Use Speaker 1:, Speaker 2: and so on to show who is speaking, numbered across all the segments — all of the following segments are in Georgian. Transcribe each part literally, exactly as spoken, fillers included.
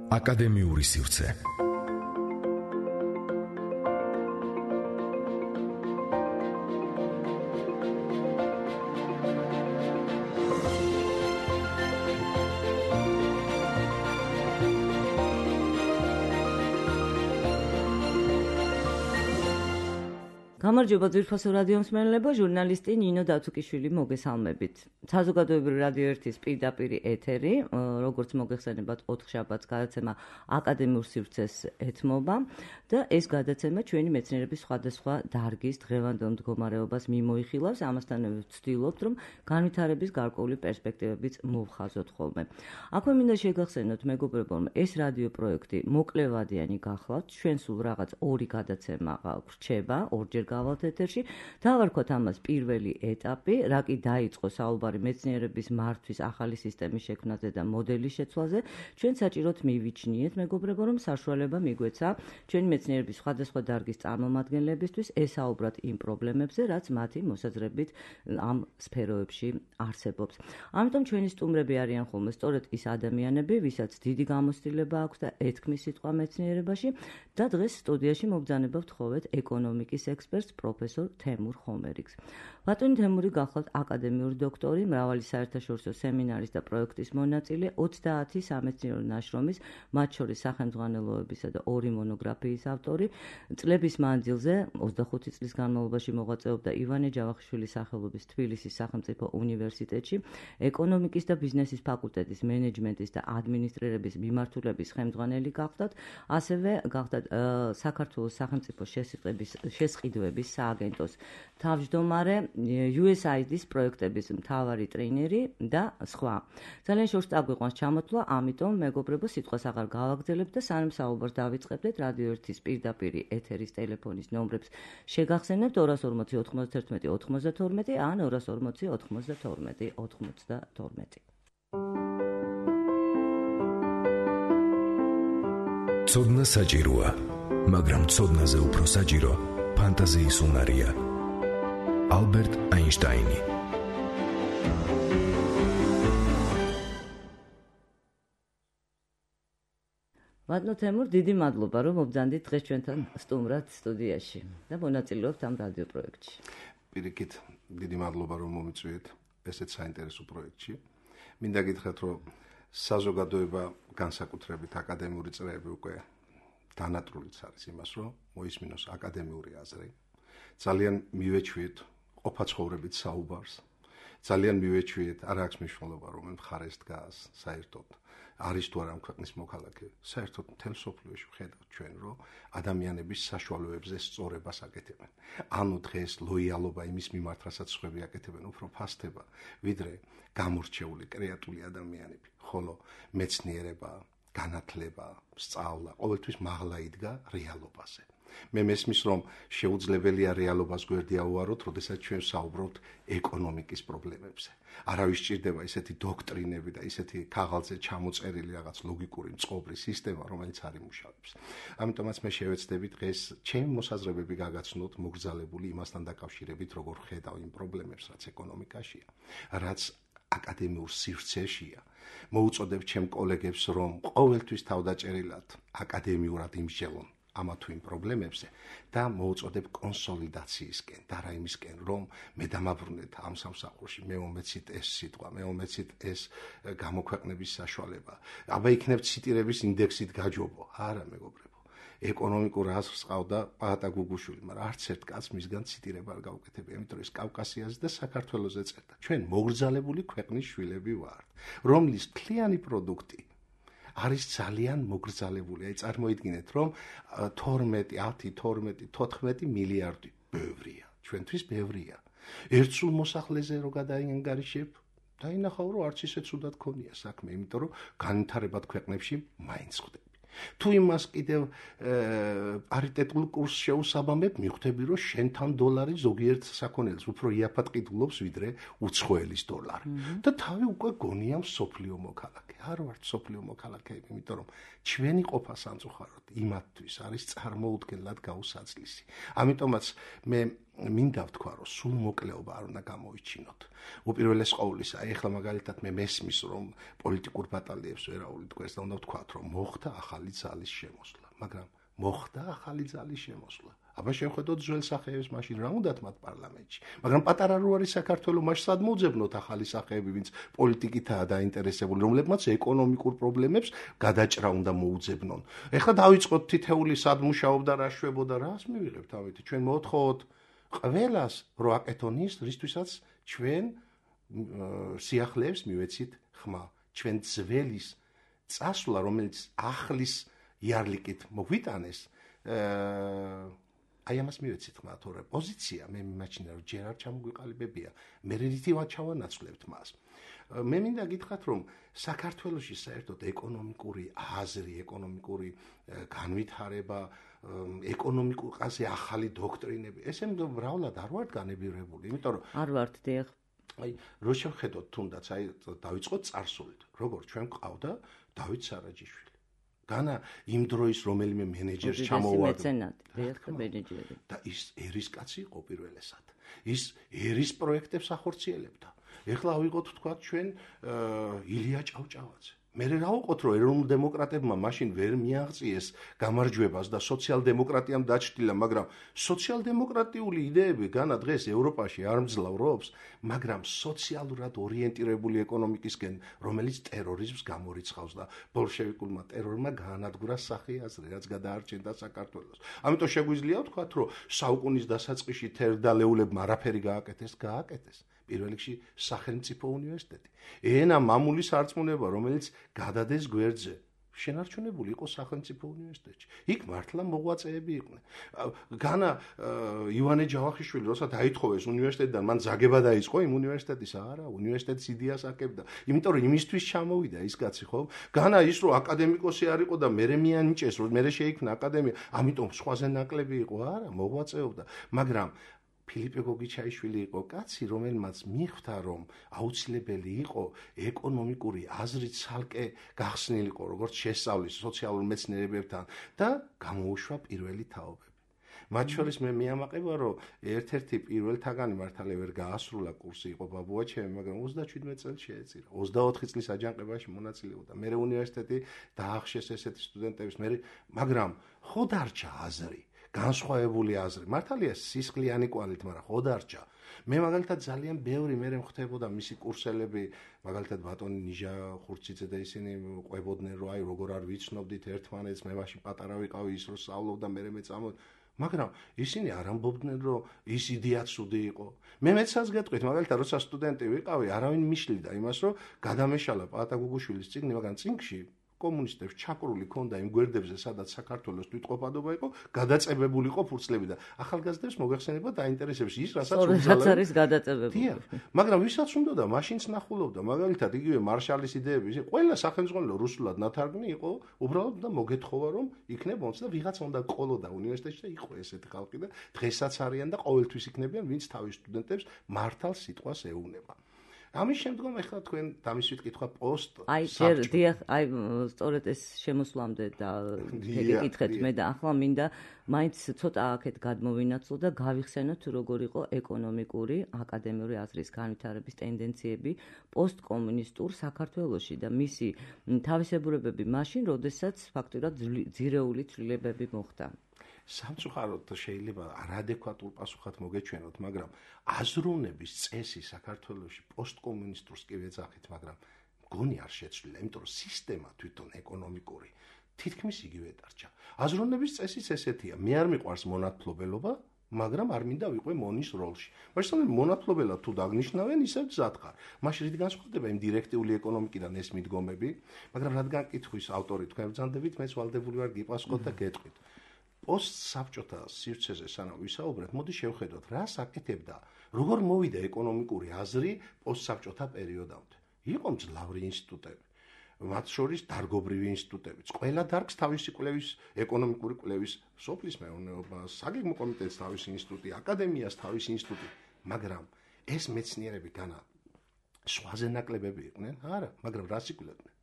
Speaker 1: აკადემიური სივრცე.
Speaker 2: გამარჯობა ძვირფასო რადიო მსმენელებო, ჟურნალისტი ნინო დათუკიშვილი მოგესალმებით. საზოგადოებრივი რადიო ერთის პირდაპირ ეთერი, როგორც მოგეხსენებათ, ოთხშაბათს გადაცემა აკადემიურ სივრცეს ეთმობა და ეს გადაცემა ჩვენი მეცნიერების სხვადასხვა დარგის დღევანდელ მდგომარეობას მიმოიხილავს, ამასთანავე ვცდილობთ, რომ განვითარების გარკვეული პერსპექტივებიც მოვხაზოთ ხოლმე. აქვე მინდა შეგახსენოთ, მეგობრებო, რომ ეს რადიო პროექტი მოკლევადიანი გახლავთ, ჩვენ სულ რაღაც ორი გადაცემა გვრჩება, ორჯერ გავალთ ეთერში. დავარქვათ ამას პირველი ეტაპი, რა კი დაიწყო საუბარი მეცნიერების მართვის ახალი სისტემის შექმნაზე და მოდელის შეცვლაზე. ჩვენ საჭიროდ მივიჩნიეთ, მეგობრებო, რომ საშუალება მიგვეცა ჩვენი მეცნიერების სხვადასხვა დარგის წარმომადგენლებისთვის ესაუბრათ იმ პრობლემებზე, რაც მათი მოსაზრებით ამ სფეროებში არსებობს. ამიტომ ჩვენი სტუმრები არიან ხოლმე სწორედ ის ადამიანები, ვისაც დიდი გამოცდილება აქვს და ეთქმის სიტყვა მეცნიერებაში და დღეს სტუდიაში მობრძანება ვთხოვეთ ეკონომიკის ექსპერტს პროფესორ თემურ ხომერიკს. ბატონი თემური გახლავთ აკადემიური დოქტორი, მრავალი საერთაშორისო სემინარის და პროექტის მონაწილე, ოცდაათი სამეცნიერო ნაშრომის, მათ შორის სახელმძღვანელოებისა და ორი მონოგრაფიის ავტორი. წლების მანძილზე ოცდახუთი წლის განმავლობაში მოღვაწეობდა ივანე ჯავახიშვილის სახელობის თბილისის სახელმწიფო უნივერსიტეტში, ეკონომიკის და ბიზნესის ფაკულტეტის მენეჯმენტის და ადმინისტრირების მიმართულების ხელმძღვანელი გახლავთ, ასევე გახლავთ საქართველოს სახელმწიფო შესყიდვების შესყიდვების სააგენტოს თავმჯდომარე, იუ ეს აი დის პროექტების მთავარი ტრეინერი და სხვა. ძალიან შორს წაგვიყვანს ჩამოთვლა, ამიტომ მეგობრებო, სიტყვას აღარ გავაგრძელებთ და სანამ საუბარს დავიწყებთ, რადიო ერთის პირდაპირ ეთერის ტელეფონის ნომრებს შეგახსენებთ ორას ორმოცი ოთხმოცდაერთმეტი ოთხმოცდათორმეტი ან ორას ორმოცი ოთხმოცდათორმეტი ოთხმოცდათორმეტი.
Speaker 1: ცოდნა საჭიროა, მაგრამ ცოდნაზე უფრო საჭირო ფანტაზიის უნარია. ალბერტ აინშტაინი.
Speaker 2: ბატონო თემურ, დიდი მადლობა, რომ მობრძანდით დღეს ჩვენთან სტუმრად სტუდიაში და მონაწილეობთ ამ რადიო პროექტში.
Speaker 3: პირიქით, დიდი მადლობა, რომ მომიწვიეთ ესეთ საინტერესო პროექტში. მინდა გითხრათ, რომ საზოგადოება განსაკუთრებით აკადემიური წრეები უკვე დანატრულიც არის იმას, რომ მოისმინოს აკადემიური აზრი. ძალიან მივეჩვიეთ ყოფაცხოვრებით საუბარს. ძალიან მივეჩვიეთ, არ აქვს მნიშვნელობა, რომელ მხარეს დგას საერთოდ. არის თუ არა ამ ქვეყნის მოქალაქე. საერთოდ მთელ მსოფლიოში ვხედავთ ჩვენ, რომ ადამიანების საშუალებებზე სწორებას აკეთებენ. ანუ დღეს ლოიალობა იმის მიმართ, რასაც სხვები აკეთებენ, უფრო ფასდება, ვიდრე გამორჩეული კრეატიული ადამიანები. ხოლო მეცნიერება, განათლება, სწავლა ყოველთვის მაღლა იდგა რეალობაზე. მე მესმის, რომ შეუძლებელია რეალობას გვერდი ავუაროთ, როდესაც ჩვენ საუბრობთ ეკონომიკის პრობლემებზე. არავის სჭირდება ისეთი დოქტრინები და ისეთი ქაღალდზე ჩამოწერილი რაღაც ლოგიკური მწყობრი სისტემა, რომელიც არ იმუშავებს. ამიტომაც მე შევეცდები დღეს ჩემი მოსაზრებები გაგაცნოთ მოგრძალებული იმასთან დაკავშირებით, როგორ ხედავ იმ პრობლემებს, რაც ეკონომიკაშია, რაც აკადემიურ სივრცეშია. მოუწოდებ ჩემ კოლეგებს, რომ ყოველთვის თავდაჭერილად აკადემიურად იმსჯელონ ამა თუ იმ პრობლემებზე და მოუწოდებ კონსოლიდაციისკენ და რაიმისკენ, რომ მე დამაბრუნეთ ამ სამსახურში, მე მომეცით ეს სიტყვა, მე მომეცით ეს გამოქვეყნების საშუალება. აბა იქნებ ციტირების ინდექსით გაჯობო. არა, მეგობრებო. ეკონომიკურ აზრს ყავდა პაატა გუგუშვილი, მაგრამ არც ერთ კაცს მისგან ციტირება არ გავუკეთებია, იმიტომ რომ ეს კავკასიაზე და საქართველოზე წერდა. ჩვენ მოგრძალებული ქვეყნის შვილები ვართ, რომლის მთლიანი პროდუქტი არის ძალიან მოგრძალებული. აი წარმოიდგინეთ, რომ თორმეტი, ათი, თორმეტი, თოთხმეტი მილიარდი ბევრია. ჩვენთვის ბევრია. ერთ სულ მოსახლეზე რო გადაინგარიშებ, დაინახავ, რომ არც ისე ცუდად ქონია საქმე, იმიტომ რომ განვითარებად ქვეყნებში მაინც ხვდები. თუ იმას კიდევ პარიტეტულ კურსს შეუსაბამებ, მიხვდები, რომ შენთან დოლარი ზოგიერთ საქონელს უფრო იაფად ყიდულობს, ვიდრე უცხოელის დოლარი. და თავი უკვე გონია მსოფლიო მოქალაქე. არ ვართ მსოფლიო მოქალაქეები, იმიტომ რომ ჩვენი ყოფა სამწუხაროდ იმათთვის არის წარმოუდგენლად გაუსაცლისი. ამიტომაც მე მინდა ვთქვა, რომ სულ მოკლეობა არ უნდა გამოვიჩინოთ. უპირველეს ყოვლისა, აი ახლა მაგალითად მე მესმის, რომ პოლიტიკურ ბატალიებს ვერაული თქვენს და უნდა ვთქვათ, რომ მოხდა ახალი ძალის შემოსვლა, მაგრამ მოხდა ახალი ძალის შემოსვლა. აბა შევხედოთ ძველ სახეებს მაშინ რა უნდათ მათ პარლამენტში. მაგრამ პატარა რო არის საქართველო, მაშინ სად მოძებნოთ ახალი სახეები, ვინც პოლიტიკითაა დაინტერესებული, რომლებმაც ეკონომიკურ პრობლემებს გადაჭრა უნდა მოუძებნონ. ეხლა დავიწყოთ თითეული სად მუშაობდა, რა შვებოდა, რას მივიღებთ ამით? ჩვენ მოთხოვოთ ყველას რო აკეთონ ის, რისთვისაც ჩვენ სიახლეებს მივეცით ხმა. ჩვენ ძველის წასვლა, რომელიც ახლის იარლიკით მოგვიტანეს, აი ამას მივეცით ხმა, თორე პოზიცია მე მიმაჩნია, რომ ჯერ არ ჩამოგვიყალიბებია, მე რითი ჩავანაცვლებთ მას. მე მინდა გითხრათ, რომ საქართველოში საერთოდ ეკონომიკური აზრი, ეკონომიკური განვითარება, ეკონომიკურ ყაზე ახალი დოქტრინები, ესე მრავლად არ ვართ განებირებული, იმიტომ რომ
Speaker 2: არ ვართ დიახ.
Speaker 3: აი, რო შევხედოთ თუნდაც, აი დავიწყოთ წარსულით, როგორც ჩვენ ყავდა დავით სარაჯიშვილი. განა იმ დროის რომელიმე მენეჯერს ჩამოვარდა და ის ერისკაცი იყო პირველესად. ის ერის პროექტებს ახორციელებდა. ეხლა ავიღოთ თქვა ჩვენ ილია ჭავჭავაძე. მე რა ვუყოთ, რომ ეროვნულ დემოკრატებმა მაშინ ვერ მიაღწიეს გამარჯვებას და სოციალ-დემოკრატიამ დაჩრდილა, მაგრამ სოციალ-დემოკრატიული იდეები განა დღეს ევროპაში არ მძლავრობს, მაგრამ სოციალურად ორიენტირებული ეკონომიკისკენ, რომელიც ტერორიზმს გამორიცხავს და ბოლშევიკულმა ტერორმა გაანადგურა სახე აზრი, რაც გადაარჩენდა საქართველოს. ამიტომ შეგვიძლია ვთქვათ, რომ საუკუნის დასაწყისში თერგდალეულებმა არაფერი გააკეთეს, გააკეთეს. პირველ რიგში სახელმწიფო უნივერსიტეტი. ენა მამული სარწმუნება, რომელიც გადადეს გვერდზე, შენარჩუნებული იყო სახელმწიფო უნივერსიტეტში. იქ მართლა მოღვაწეები იყვნენ. განა ივანე ჯავახიშვილი, როცა დაითხოვეს უნივერსიტეტიდან, მან ზაგება დაიწყო იმ უნივერსიტეტის, არა, უნივერსიტეტის იდეას აკებდა. იმიტომ რომ იმისთვის ჩამოვიდა ის კაცი, ხო? განა ის რომ აკადემიკოსი არ იყო და მერე მიანიჭეს, რომ მერე შეიქმნა აკადემია, ამიტომ სხვაზე ნაკლები იყო, არა, მოღვაწეობდა. მაგრამ ფილიპე გოგიჩაიშვილი იყო კაცი, რომელმაც მიხვდა, რომ აუცილებელი იყო ეკონომიკური აზრი ცალკე გახსნილიყო, როგორც შესწავლის სოციალურ მეცნიერებებთან და გამოუშვა პირველი თაობები. მათ შორის მე მიამაყება, რომ ერთ-ერთი პირველთაგანი მართალია ვერ გაასრულა კურსი იყო ბაბუაჩემი, მაგრამ ოცდაშვიდმეტ წელს შეეწირა. ოცდაოთხი წლის აჯანყებაში მონაწილეობდა. მე უნივერსიტეტი დაახშეს ესეთი სტუდენტების, მე მაგრამ ხო დარჩა აზრი. განსხვავებული აზრი. მართალია სისხლიანი კვალით, მაგრამ ხო დარჩა. მე მაგალითად ძალიან ბევრი მე მხვდებოდა მისი კურსელები, მაგალითად ბატონი ნიჟა ხურციძე და ისინი ყვებოდნენ, რომ აი როგორ არ ვიცნობდით ერთმანეთს, მე მაშინ პატარა ვიყავი, ის რო სწავლობდა, მე მე წამო, მაგრამ ისინი არ ამბობდნენ, რომ ის იდეა ცუდი იყო. მე მეცაც გეტყვით, მაგალითად როცა სტუდენტი ვიყავი, არავინ მიშლიდა იმას, რომ გადამეშალა პაატა გუგუშვილის წიგნი, მაგრამ წიგნში კომუნისტებს ჩაკრული ქონდა იმ გვერდებზე, სადაც საქართველოს თვითყოფადობა იყო, გადაწებებული იყო ფურცლები და ახალგაზრდებს მოგეხსენება დაინტერესებს ის, რასაც
Speaker 2: უბრალოდ არის გადაწებებული.
Speaker 3: მაგრამ ვისაც უნდოდა, მაშინც ნახულობდა, მაგალითად იგივე მარშალის იდეები, ყველა სახელმწიფო რუსულად ნათარგმნი იყო, უბრალოდ და მოგეთხოვა, რომ იქნებ ოცდა ვიღაცა უნდა ყოლოდა უნივერსიტეტში და იყო ესეთი ხალხი და დღესაც არიან და ყოველთვის იქნებიან, ვინც თავის სტუდენტებს მართალ სიტყვას ეუბნება. ამის შემდგომ ახლა თქვენ დამისვით კითხვა პოსტ
Speaker 2: აი ჯერ დიახ აი სწორედ ეს შემოსვლამდე და გეკითხეთ მე და ახლა მინდა მაინც ცოტა აქეთ გადმოვინაცვლო და გავიხსენოთ როგორ იყო ეკონომიკური აკადემიური აზრის განვითარების ტენდენციები პოსტკომუნისტურ საქართველოში და მისი თავისებურებები მაშინ, როდესაც ფაქტურად ძირეული ცვლილებები მოხდა.
Speaker 3: სამწუხაროდ შეიძლება არადეკვატურ პასუხად მოგეჩვენოთ, მაგრამ აზროვნების წესი საქართველოში პოსტკომუნისტურს კი ვეძახით, მაგრამ მგონი არ შეცვლილა, იმიტომ რომ სისტემა თვითონ ეკონომიკური თითქმის იგივე დარჩა. აზროვნების წესიც ესეთია, მე არ მიყვარს მონათმფლობელობა, მაგრამ არ მინდა ვიყვე მონის როლში. მაშინ მონათმფლობელად თუ დაგნიშნავენ, ისევ მზად ხარ. მაშინ რით განსხვავდება იმ დირექტიული ეკონომიკიდან ეს მიდგომები, მაგრამ რადგან კითხვის ავტორი თქვენ ბრძანდებით, მეც ვალდებული ვარ გიპასუხოთ და გეტყვით. პოსტსაბჭოთა სივრცეზე სანამ ვისაუბრეთ, მოდი შევხედოთ, რას აკეთებდა, როგორ მოვიდა ეკონომიკური აზრი პოსტსაბჭოთა პერიოდამდე. იყო მძლავრი ინსტიტუტები, მათ შორის დარგობრივი ინსტიტუტებიც. ყველა დარგს თავისი კვლევის, ეკონომიკური კვლევის, სოფლის მეურნეობა, საგეგმო კომიტეტს თავისი ინსტიტუტი, აკადემიას თავისი ინსტიტუტი, მაგრამ ეს მეცნიერები განა სხვაზე ნაკლებები იყვნენ? არა, მაგრამ რას იკვლევდნენ?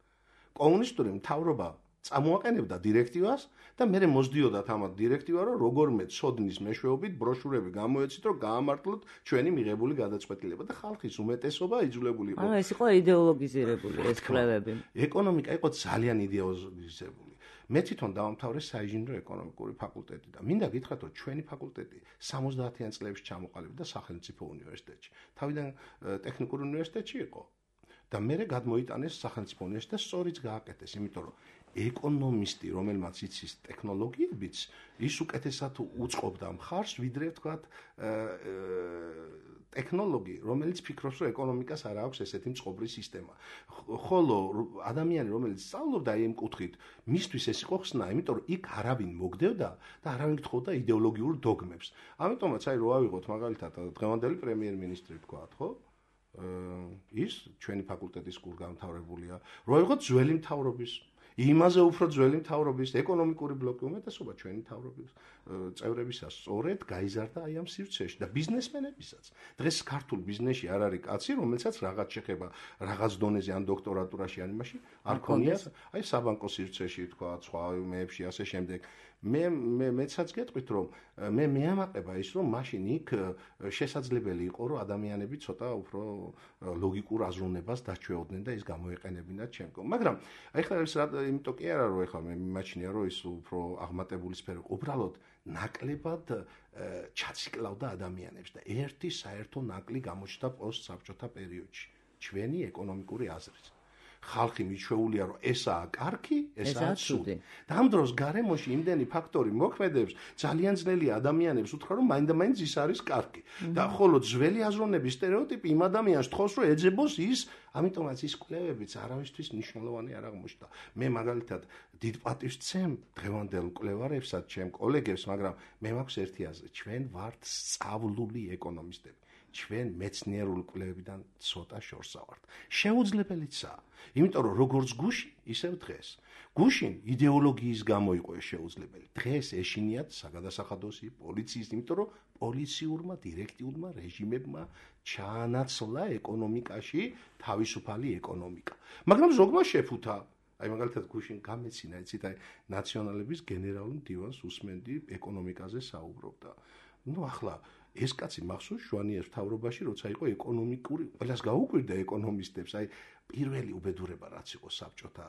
Speaker 3: კომუნისტური მთავრობა წამოაყენებდა დირექტივას და მე მოსდიოდათ ამ დირექტივა, რომ როგორმე ცოდნის მეშვეობით ბროშურები გამოეცით, რომ გაამართლოთ ჩვენი მიღებული გადაწყვეტილება და ხალხის უმეტესობა იძულებული იყო.
Speaker 2: ანუ ეს იყო იდეოლოგიზირებული ეს კვლევები.
Speaker 3: ეკონომიკა იყო ძალიან იდეოლოგიზირებული. მე თვითონ დავამთავრე საინჟინრო ეკონომიკური ფაკულტეტი და მინდა გითხრათ, რომ ჩვენი ფაკულტეტი სამოცდაათიან წლებში ჩამოყალიბდა სახელმწიფო უნივერსიტეტში. თავიდან ტექნიკური უნივერსიტეტში იყო და მერე გადმოიტანეს სახელმწიფო უნივერსიტეტს, სწორიც გააკეთეს, იმიტომ რომ ეკონომისტი, რომელმაც იცის ტექნოლოგიებიც, ის უკეთესად უწყობდა მხარს, ვიდრე ვთქვათ, ტექნოლოგი, რომელიც ფიქრობს, რომ ეკონომიკას არ აქვს ესეთი მწყობრი სისტემა. ხოლო ადამიანი, რომელიც სწავლობდა აი ამ კუთხით, მისთვის ეს იყო ხსნა, იმიტომ რომ იქ არავინ მოგდევდა და არავინ გთხოვდა იდეოლოგიურ დოგმებს. ამიტომაც აი რო ავიღოთ მაგალითად დღევანდელი პრემიერ-მინისტრი ვთქვათ, ხო? ის ჩვენი ფაკულტეტის კურსგამთავრებულია, რო ავიღოთ ძველი მთავრობის იმაზე უფრო ძველი მთავრობის ეკონომიკური ბლოკი უმეტესობა ჩვენი მთავრობის წევრებისას სწორედ გაიზარდა აი ამ სივრცეში და ბიზნესმენებისაც. დღეს ქართულ ბიზნესში არ არის კაცი, რომელსაც რაღაც შეხება რაღაც დონეზე ან დოქტორატურაში ან იმაში არ ქონია, აი საბანკო სივრცეში თქვა, სხვა მეებში ასე შემდეგ. მე მე მეცაც გეტყვით, რომ მე მეამაყება ის, რომ მაშინ იქ შესაძლებელი იყო, რომ ადამიანები ცოტა უფრო ლოგიკურ აზროვნებას დაჩვეოდნენ და ის გამოეყენებინათ ჩემკო. მაგრამ აი ხლა ეს იმიტომ კი არა, რომ ეხლა მე მიმაჩნია, რომ ის უფრო აღმატებული სფერო, უბრალოდ ნაკლებად ჩაციკლავდა ადამიანებს და ერთი საერთო ნაკლი გამოჩნდა პოსტსაბჭოთა პერიოდში. ჩვენი ეკონომიკური აზრით. ხალხი მიჩვეულია, რომ ესაა კარგი, ესაა ცუდი. და ამ დროს გარემოში იმდენი ფაქტორი მოქმედებს, ძალიან ძნელია ადამიანებს უთხრა, რომ მაინდა-მაინც ის არის კარგი. და ხოლო ძველი აზროვნების სტერეოტიპი იმ ადამიანს თხოვს, რომ ეძებოს ის, ამიტომაც ის კვლევებიც არავისთვის მნიშვნელოვანი არ აღმოჩნდა. მე მაგალითად დიდ პატივს ვცემ დღევანდელ მკვლევარებსაც, ჩემ კოლეგებს, მაგრამ მე მაქვს ერთი აზრი, ჩვენ ვართ სწავლული ეკონომისტები. ჩვენ მეცნიერული კვლევებიდან ცოტა შორსა ვართ. შეუძლებელიცაა. იმიტომ რომ როგორც გუშინ, ისევ დღეს. გუშინ იდეოლოგიის გამო იყო ეს შეუძლებელი. დღეს ეშინიათ საგადასახადოსი, პოლიციის, იმიტომ რომ პოლიციურმა დირექტიულმა რეჟიმებმა ჩაანაცვლა ეკონომიკაში თავისუფალი ეკონომიკა. მაგრამ ზოგმა შეფუთა. აი მაგალითად გუშინ გამეცინა, იცით, აი ნაციონალების გენერალურ მდივანს უსმენდი ეკონომიკაზე საუბრობდა. ნუ ახლა ეს კაცი მახსოვს შვანიას მთავრობაში, როცა იყო ეკონომიკური, ყველას გაუკვირდა ეკონომისტებს, აი პირველი უბედურება რაც იყო საბჭოთა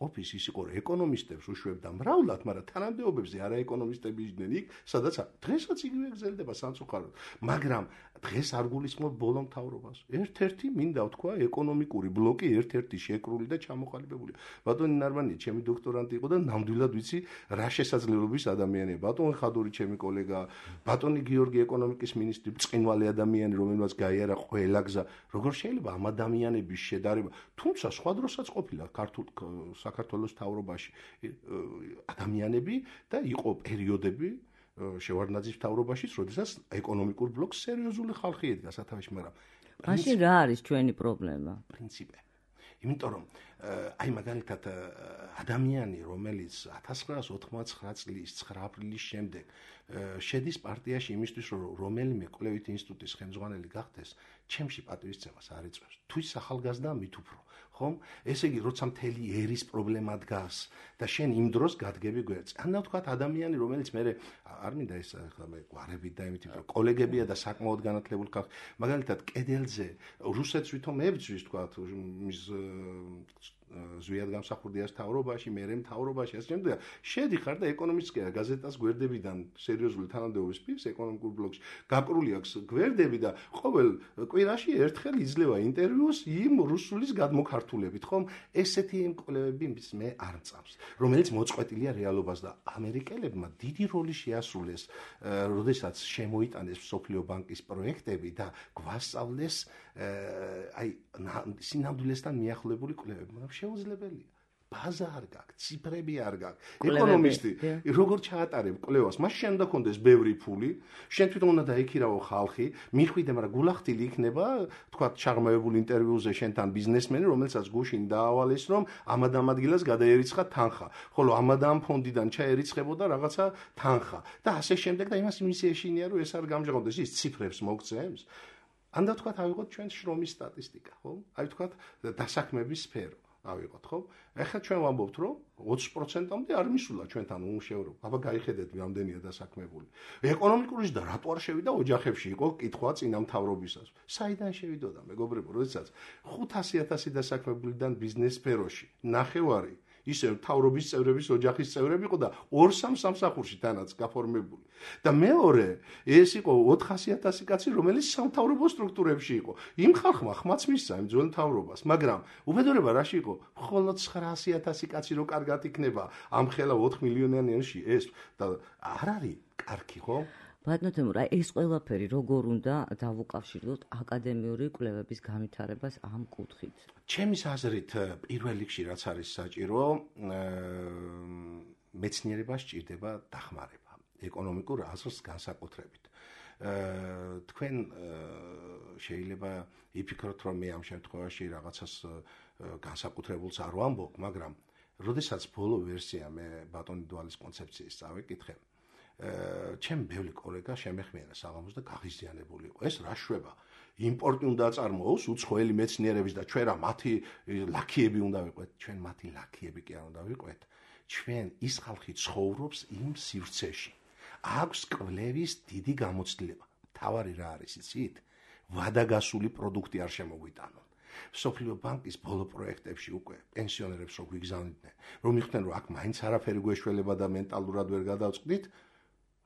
Speaker 3: ოფისის ის იყო, რომ ეკონომისტებს უშვებდა მრავლად, მაგრამ თანამდებობებზე არა ეკონომისტები იყვნენ იქ, სადაც დღესაც იგივე გრძელდება სამწუხაროდ. მაგრამ დღეს არ გულისხმობ ბოლო მთავრობას. ერთ-ერთი მინდა ვთქვა, ეკონომიკური ბლოკი ერთ-ერთი შეკრული და ჩამოყალიბებულია. ბატონი ნარმანია, ჩემი დოქტორანტი იყო და ნამდვილად ვიცი რა შესაძლებლობის ადამიანია. ბატონი ხადური, ჩემი კოლეგა, ბატონი გიორგი ეკონომიკის მინისტრი, ბრწყინვალე ადამიანი, რომელმაც გაიარა ყველა გზა. როგორ შეიძლება ამ ადამიანების შედარება, თუმცა სხვა დროსაც ყოფილა ქართულ საქართველოს მთავრობაში ადამიანები და იყო პერიოდები შევარდნაძის მთავრობაშიც, როდესაც ეკონომიკურ ბლოკს სერიოზული ხალხი ედგა სათავეში, მაგრამ
Speaker 2: მაშინ რა არის ჩვენი პრობლემა?
Speaker 3: პრინციპი. იმიტომ რომ აი მაგალითად ადამიანი, რომელიც ათას ცხრაას ოცდათხმეტ წლის ცხრა აპრილის შემდეგ შედის პარტიაში იმისთვის, რომ რომელიმე კვლევით ინსტიტუტის ხელმძღვანელი გახდეს, ჩემში პატივისცემას არ იწევს. თუ ის ახალგაზრდაა, მით უფრო. ხომ? ესე იგი, როცა მთელი ერის პრობლემა დგას და შენ იმ დროს გადგები გვერდს. ანუ თქვათ ადამიანი, რომელიც მე არ მინდა ეს ახლა მე გვარებით და იმით იმიტომ კოლეგებია და საკმაოდ განათლებული ხალხი. მაგალითად, კედელზე რუსეთს ვითომ ებრძვის თქვათ მის ზვიად გამსახურდიას მთავრობაში, მერე მთავრობაში, ასე შემდეგ. შედიხარ და ეკონომისტიკა გაზეტას გვერდებიდან სერიოზული თანამდებობის პირს ეკონომიკურ ბლოკში გაკრული აქვს გვერდები და ყოველ კვირაში ერთხელ იძლევა ინტერვიუს იმ რუსულის გადმოქართულებით, ხომ? ესეთი კვლევები მე არ მწამს, რომელიც მოწყვეტილია რეალობას და ამერიკელებმა დიდი როლი შეასრულეს, როდესაც შემოიტანეს მსოფლიო ბანკის პროექტები და გვასწავლეს აი სინამდვილესთან მიახლოებული კვლევები, მაგრამ შეუძლებელია. ბაზა არ გაქვს, ციფრები არ გაქვს. ეკონომისტი როგორ ჩაატარებ კვლევას? მას შენ უნდა კონდეს ბევრი ფული, შენ თვითონ უნდა დაიქირავო ხალხი, მიხვიდე, მაგრამ გულახდილი იქნება, თქვა ჩაღრმავებული ინტერვიუზე შენთან ბიზნესმენი, რომელსაც გუშინ დაავალეს, რომ ამად ამ ადგილას გადაერიცხა თანხა, ხოლო ამად ამ ფონდიდან ჩაერიცხებოდა რაღაცა თანხა და ასე შემდეგ და იმას იმის ეშინია, რომ ეს არ გამჟღავნდეს, ის ციფრებს მოგცემს. ან და თქვათ ავიღოთ ჩვენ შრომის სტატისტიკა, ხო? აი თქვათ დასაქმების სფერო. ავიღოთ, ხო? ეხლა ჩვენ ვამბობთ, რომ ოცი პროცენტამდე არ მისულა ჩვენთან უმუშევრობა. აბა გაიხედეთ, რამდენია დასაქმებული. ეკონომიკური ზრდა რატო არ შევიდა ოჯახებში იყო კითხვა წინამთავრობისას. საიდან შევიდოდა, მეგობრებო, როდესაც ხუთასი ათასი დასაქმებულიდან ბიზნეს სფეროში ნახევარი ისე მთავრობის წევრების ოჯახის წევრები იყო და ორ-სამ სამსახურში თანაც გაფორმებული. და მეორე, ეს იყო ოთხასი ათასი კაცი, რომელიც სამთავრობო სტრუქტურებში იყო. იმ ხალხმა ხმაც მისცა იმ ძველ მთავრობას, მაგრამ უბედურება რაში იყო? მხოლოდ ცხრაასი ათასი კაცი რო კარგად იქნება ამ ხელა ოთხ მილიონიანში ეს და არ არის კარგი, ხო?
Speaker 2: ბატონო თემურ, აი ეს ყველაფერი როგორ უნდა დავუკავშირდოთ აკადემიური კვლევების განვითარებას ამ კუთხით?
Speaker 3: ჩემის აზრით, პირველ რიგში რაც არის საჭირო, მეცნიერებას სჭირდება დახმარება, ეკონომიკურ აზრს განსაკუთრებით. თქვენ შეიძლება იფიქროთ, რომ მე ამ შემთხვევაში რაღაცას განსაკუთრებულს არ ვამბობ, მაგრამ როდესაც ბოლო ვერსია მე ბატონი დვალის კონცეფციის წავიკითხე, ჩემ ბევრი კოლეგა შემეხმიანა საღამოს და გაღიზიანებული იყო. ეს რა შვება? იმპორტი უნდა წარმოოს უცხოელი მეცნიერების და ჩვენ რა მათი ლაქიები უნდა ვიყვეთ? ჩვენ მათი ლაქიები კი არ უნდა ვიყვეთ. ჩვენ ის ხალხი ცხოვრობს იმ სივრცეში. აქვს კვლევის დიდი გამოცდილება. თავარი რა არის იცით? ვადაგასული პროდუქტი არ შემოგვიტანონ. სოფლიო ბანკის ბოლო პროექტებში უკვე პენსიონერებს რო გვიგზავნიდნენ, რომ იხდნენ რომ აქ მაინც არაფერი გვეშველება და მენტალურად ვერ გადავწყვდით,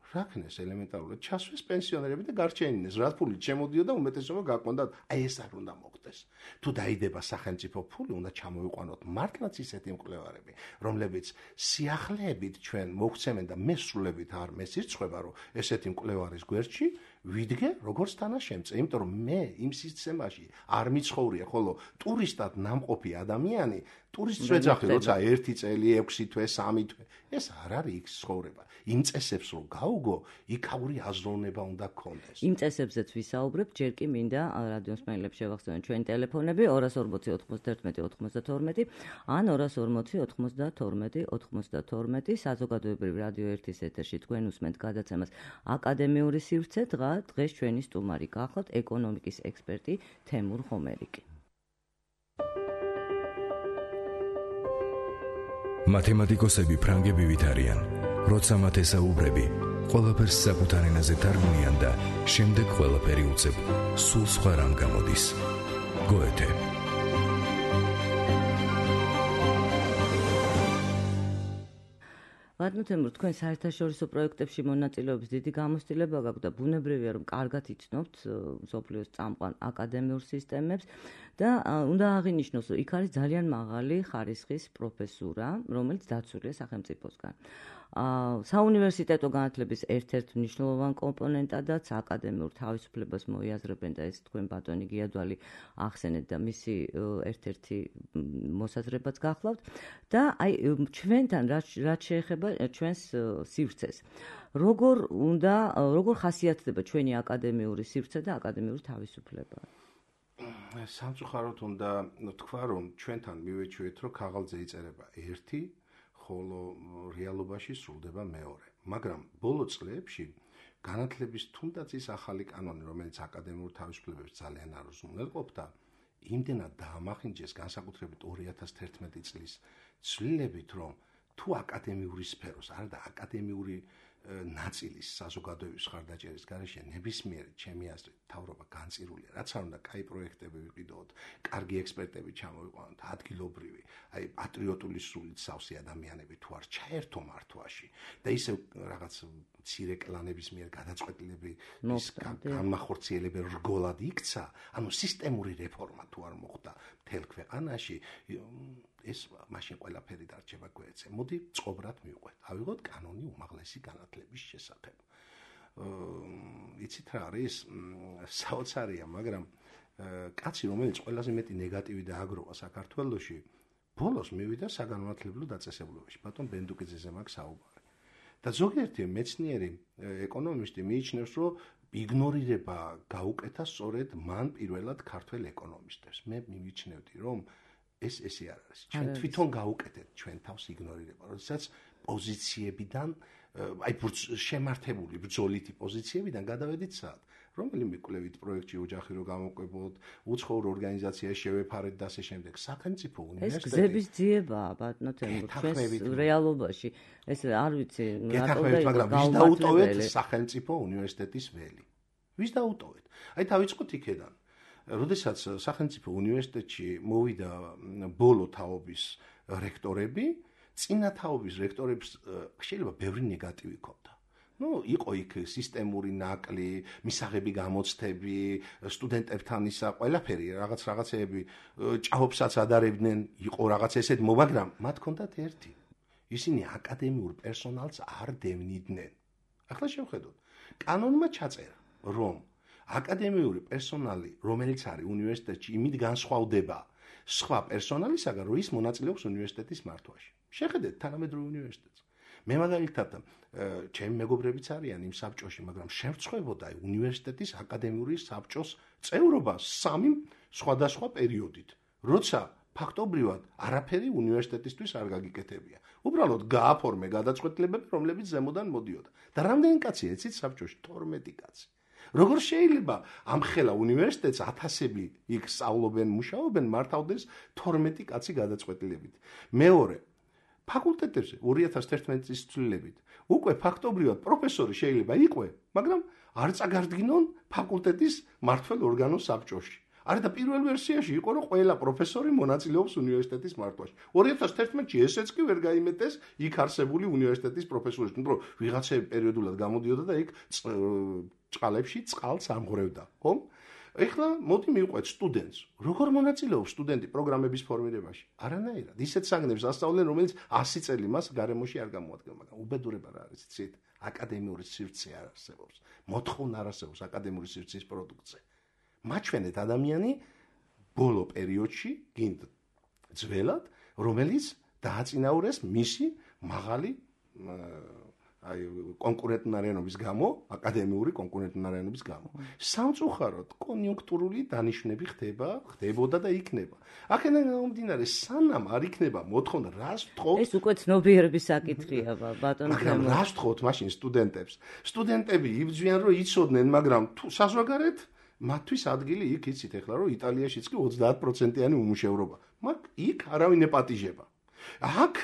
Speaker 3: რა ქნეს ელემენტარულად ჩასვეს პენსიონერები და გარჩენინეს, რა ფულით შემოდიოდა უმეტესობა გაკვონდათ, აი ეს არ უნდა მოხდეს. თუ დაიდება სახელმწიფო ფული, უნდა ჩამოიყვანოთ მართლაც ისეთი მკვლევარები, რომლებიც სიახლეებით ჩვენ მოგცემენ და მესრულებით არ მესირცხება, რომ ესეთი მკვლევარის გვერდში ვიდგე როგორც თანაშემწე, იმიტომ რომ მე იმ სისტემაში არ მიცხოვრია, ხოლო ტურისტად ნამყოფი ადამიანი, ტურისტს ვეძახი, როცა ერთი წელი, ექვსი თვე, სამი თვე, ეს არ არის იქ ცხოვრება. იმ წესებს რომ გაუგო, იქაური აზროვნება უნდა გქონდეს.
Speaker 2: იმ წესებზეც ვისაუბრებ, ჯერ კი მინდა რადიოს მსმენელებს შევახსენოთ ჩვენი ტელეფონები ორას ორმოცი ოთხმოცდაერთმეტი ოთხმოცდათორმეტი ან ორას ორმოცი ოთხმოცდათორმეტი ოთხმოცდათორმეტი საზოგადოებრივი რადიო ერთის ეთერში თქვენ უსმენთ გადაცემას აკადემიური სივრცე. დღა დღეს ჩვენი სტუმარი გახლავთ ეკონომიკის ექსპერტი თემურ ხომერიკი.
Speaker 1: მათემატიკოსები ფრანგები ვით არიან. როცა მათ ესაუბრები, ყველაფერს საკუთარ ენაზე თარგმნიან და შემდეგ ყველაფერი უცებ სულ სხვა რამ გამოდის. გოეთე.
Speaker 2: ბატონო თემურ, თქვენ საერთაშორისო პროექტებში მონაწილეობის დიდი გამოცდილება გაქვთ და ბუნებრივია რომ კარგად იცნობთ მსოფლიოს წამყვან აკადემიურ სისტემებს და უნდა აღინიშნოს, რომ იქ არის ძალიან მაღალი ხარისხის პროფესურა, რომელიც დაცულია სახელმწიფოსგან. საუნივერსიტეტო განათლების ერთ-ერთ მნიშვნელოვან კომპონენტადაც აკადემიურ თავისუფლებას მოიაზრებენ და ეს თქვენ ბატონი გიადვალი ახსენეთ და მისი ერთ-ერთი მოსაზრებაც გახლავთ და აი ჩვენთან რაც შეეხება ჩვენს სივრცეს. როგორ უნდა როგორ ხასიათდება ჩვენი აკადემიური სივრცე და აკადემიური თავისუფლება?
Speaker 3: სამწუხაროდ უნდა თქვა, რომ ჩვენთან მივეჩვიეთ, რომ ქაღალდზე იწერება ერთი, ხოლო რეალობაში სრულდება მეორე. მაგრამ ბოლო წლებში განათლების თუნდაც ის ახალი კანონი, რომელიც აკადემიურ თავისუფლებებს ძალიან არ უზრუნველყოფდა, იმდენად დაამახინჯეს განსაკუთრებით ორი ათას თერთმეტი წლის ცვლილებით, რომ თუ აკადემიური სფეროს, არა და აკადემიური ნაწილის საზოგადოების ხარდაჭერის გარეშე ნებისმიერი ჩემი აზრით მთავრობა განწირულია, რაც არ უნდა კაი პროექტები ვიყიდოთ, კარგი ექსპერტები ჩამოვიყვანოთ, ადგილობრივი, აი პატრიოტული სულით სავსე ადამიანები თუ არ ჩაერთო მართვაში და ისევ რაღაც მცირე კლანების მიერ გადაწყვეტილები ის განმახორციელებელი რგოლად იქცა, ანუ სისტემური რეფორმა თუ არ მოხდა მთელ ქვეყანაში, ეს მაშინ ყველაფერი დარჩება გვერდზე. მოდი წყობრად მივყვეთ. ავიღოთ კანონი უმაღლესი განათლების შესახებ. იცით რა არის? საოცარია, მაგრამ კაცი, რომელიც ყველაზე მეტი ნეგატივი დააგროვა საქართველოში, ბოლოს მივიდა საგანმანათლებლო დაწესებულებაში. ბატონ ბენდუკიძეზე მაქვს საუბარი. და ზოგიერთი მეცნიერი ეკონომისტი მიიჩნევს, რომ იგნორირება გაუკეთა სწორედ მან პირველად ქართველ ეკონომისტებს. მე მივიჩნევდი, რომ ეს ესე არ არის. ჩვენ თვითონ გაუკეთეთ ჩვენ თავს იგნორირება, როდესაც პოზიციებიდან, აი შემართებული ბრძოლითი პოზიციებიდან გადავედით სად? რომელიმე კვლევით პროექტში ოჯახი რო გამოყვებოდ, უცხოურ ორგანიზაციაში შევეფარეთ და ასე შემდეგ. სახელმწიფო უნივერსიტეტი
Speaker 2: ეს გზების ძიებაა, ბატონო თემურ, ჩვენს რეალობაში. ეს არ ვიცი,
Speaker 3: რატო და მაგრამ ვის დაუტოვეთ სახელმწიფო უნივერსიტეტის ველი? ვის დაუტოვეთ? აი დავიწყოთ იქედან. როდესაც სახელმწიფო უნივერსიტეტში მოვიდა ბოლო თაობის რექტორები, წინა თაობის რექტორებს შეიძლება ბევრი ნეგატივი ჰქონდა. Ну, იყო იქ სისტემური ნაკლი, მისაღები გამოცდები, სტუდენტებთან ისა ყველაფერი, რაღაც რაღაცეები ჭაობსაც ადარებდნენ, იყო რაღაც ესეთ, მაგრამ მათ ჰქონდათ ერთი. ისინი აკადემიურ პერსონალს არ დევნიდნენ. ახლა შევხედოთ. კანონმა ჩაწერა, რომ აკადემიური პერსონალი, რომელიც არის უნივერსიტეტში, იმით განსხვავდება სხვა პერსონალისაგან, რომ ის მონაწილეობს უნივერსიტეტის მართვაში. შეხედეთ თანამედროვე უნივერსიტეტს. მე მაგალითად ჩემი მეგობრებიც არიან იმ საბჭოში, მაგრამ შევწყვებოდა უნივერსიტეტის აკადემიური საბჭოს წევრობა სამი სხვადასხვა პერიოდით, როცა ფაქტობრივად არაფერი უნივერსიტეტისთვის არ გაგიკეთებია. უბრალოდ გააფორმე გადაწყვეტილებები, რომლებიც ზემოდან მოდიოდა. და რამდენი კაცია ეცით საბჭოში? თორმეტი კაცი. როგორ შეიძლება ამ ხელა უნივერსიტეტს ათასები იქ სწავლობენ, მუშაობენ, მართავდეს თორმეტი კაცი გადაწყვეტილებით. მეორე, ფაკულტეტებზე ორი ათას ერთმეტი წლის ცვლილებით უკვე ფაქტობრივად პროფესორი შეიძლება იყვე, მაგრამ არ წაგარდგინონ ფაკულტეტის მმართველ ორგანოს საბჭოში. არა და პირველ ვერსიაში იყო რომ ყველა პროფესორი მონაწილეობს უნივერსიტეტის მართვაში. ორი ათას ერთმეტში ესეც კი ვერ გაიმეტეს იქ არსებული უნივერსიტეტის პროფესორებს, მაგრამ ვიღაცები პერიოდულად გამოდიოდა და იქ წყალებში წყალს ამღვრევდა, ხო? ეხლა მოდი მივყვეთ სტუდენტს. როგორ მონაწილეობს სტუდენტი პროგრამების ფორმირებაში? არანაირად. ისეთ საგნებს ასწავლენ, რომელიც ასი წელი მას გარემოში არ გამოადგენ, მაგრამ უბედურება რა არის, იცით? აკადემიური სივრცე არ არსებობს. მოთხოვნა არ არსებობს აკადემიური სივრცის პროდუქციაზე. მაჩვენეთ ადამიანი ბოლო პერიოდში გინდ ძველად, რომელიც დააწინაურეს მისი მაღალი აი კონკურენტუნარიანობის გამო, აკადემიური კონკურენტუნარიანობის გამო. სამწუხაროდ კონიუნქტურული დანიშნები ხდება, ხდებოდა და იქნება. აქედან გამომდინარე, სანამ არ იქნება მოთხოვნა, რას ვთხოვთ?
Speaker 2: ეს უკვე ცნობიერების საკითხია, ბატონო.
Speaker 3: მაგრამ რას ვთხოვთ მაშინ სტუდენტებს? სტუდენტები იბრძვიან, რომ იცოდნენ, მაგრამ თუ საზღვარგარეთ მათთვის ადგილი იქ იცით ეხლა, რომ იტალიაშიც კი ოცდაათ პროცენტიანი უმუშევრობა. მაგ იქ არავინ ეპატიჟება. აქ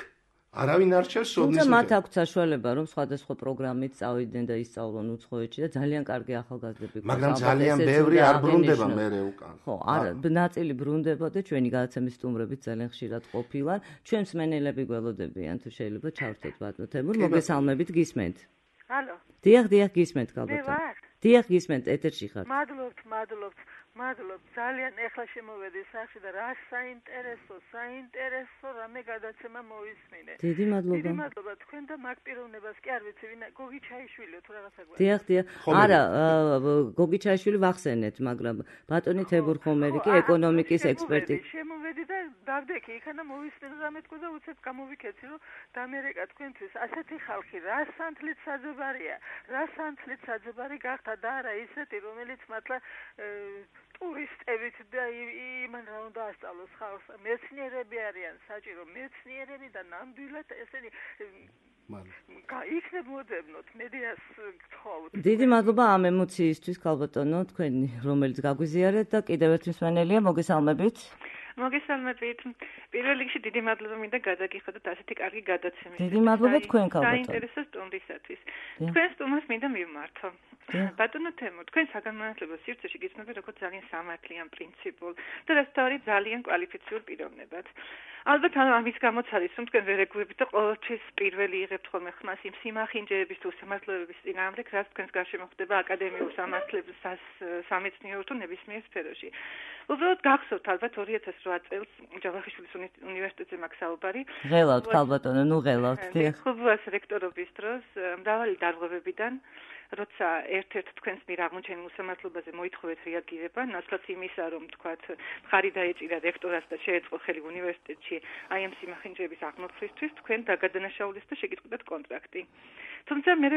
Speaker 3: არავინ არ რჩევს სოდნის.
Speaker 2: თუმცა მათ აქვს საშუალება, რომ სხვადასხვა პროგრამით წავიდნენ და ისწავლონ უცხოეთში და ძალიან კარგი ახალგაზრდები ყავს.
Speaker 3: მაგრამ ძალიან ბევრი არ ბრუნდება მერე უკან.
Speaker 2: ხო, არა, ნაწილი ბრუნდება და ჩვენი გადაცემის სტუმრებით ძალიან ხშირად ყოფილან. ჩვენს მენელები გველოდებიან, თუ შეიძლება ჩავრთოთ ბატონო თემურ, მოგესალმებით, გისმენთ.
Speaker 4: ალო.
Speaker 2: დიახ, დიახ, გისმენთ ალბათ.
Speaker 4: მე ვარ.
Speaker 2: დიახ, გისმენთ, ეთერში ხართ.
Speaker 4: მადლობთ, მადლობთ, მადლობთ. ძალიან ეხლა შემოვედი სახში და რა საინტერესო, საინტერესო რამე გადაცემა მოვისმინე.
Speaker 2: დიდი მადლობა.
Speaker 4: დიდი მადლობა თქვენ და მაგ პიროვნებას კი არ ვიცი, ვინ გოგი ჩაიშვილიო თუ რაღაცა გვაქვს.
Speaker 2: დიახ, დიახ. არა, გოგი ჩაიშვილი ვახსენეთ, მაგრამ ბატონი თებურ ხომერი კი ეკონომიკის ექსპერტი.
Speaker 4: შემოვედი და დავდექი, იქანა მოვისმინე რამე თქო და უცებ გამოვიქეცი, რომ დამერეკა თქვენთვის ასეთი ხალხი რა სანთლით საძებარია, რა სანთლით საძებარი გახდა და არა ისეთი, რომელიც მართლა ტურისტებით და იმან რა უნდა ასწავლოს ხალხს. მეცნიერები არიან საჭირო, მეცნიერები და ნამდვილად ესენი იქნებ მოდევნოთ, მედიას გთხოვთ.
Speaker 2: დიდი მადლობა ამ ემოციისთვის, ქალბატონო, თქვენი, რომელიც გაგვიზიარეთ და კიდევ ერთ მსმენელია, მოგესალმებით.
Speaker 4: მოგესალმებით. პირველ რიგში დიდი მადლობა მინდა გადაგიხადოთ ასეთი კარგი გადაცემის.
Speaker 2: დიდი მადლობა თქვენ ქალბატონო.
Speaker 4: საინტერესო სტუმრისათვის. თქვენ სტუმრს მინდა მივმართო. ბატონო თემურ, თქვენ საგანმანათლებლო სივრცეში გიცნობთ როგორც ძალიან სამართლიან, პრინციპულ და რასთავარი ძალიან კვალიფიციურ პიროვნებად. ალბათ ამის გამოც არის, რომ თქვენ ვერ ეგუებით და ყოველთვის პირველი იღებთ ხოლმე ხმას იმ სიმახინჯეების თუ სამართლებების წინააღმდეგ, რაც თქვენს გარშემო ხდება აკადემიურ სამართლების სამეცნიერო თუ ნებისმიერ სფეროში. უბრალოდ გახსოვთ ალბათ ორი ათას რვა წელს ჯავახიშვილის უნივერსიტეტზე მაქვს საუბარი.
Speaker 2: ღელავთ ქალბატონო, ნუ ღელავთ.
Speaker 4: ხუბუას რექტორობის დროს მრავალი დარღვევებიდან როცა ერთ-ერთ თქვენს მიერ აღმოჩენილ უსამართლობაზე მოითხოვეთ რეაგირება, ნაცვლად იმისა, რომ თქვათ, მხარი დაეჭირა რექტორას და შეეწყო ხელი უნივერსიტეტში აი ამ სიმახინჯეების აღმოფხვრისთვის, თქვენ დაგადანაშაულეს და შეგიტყიდათ კონტრაქტი. თუმცა მე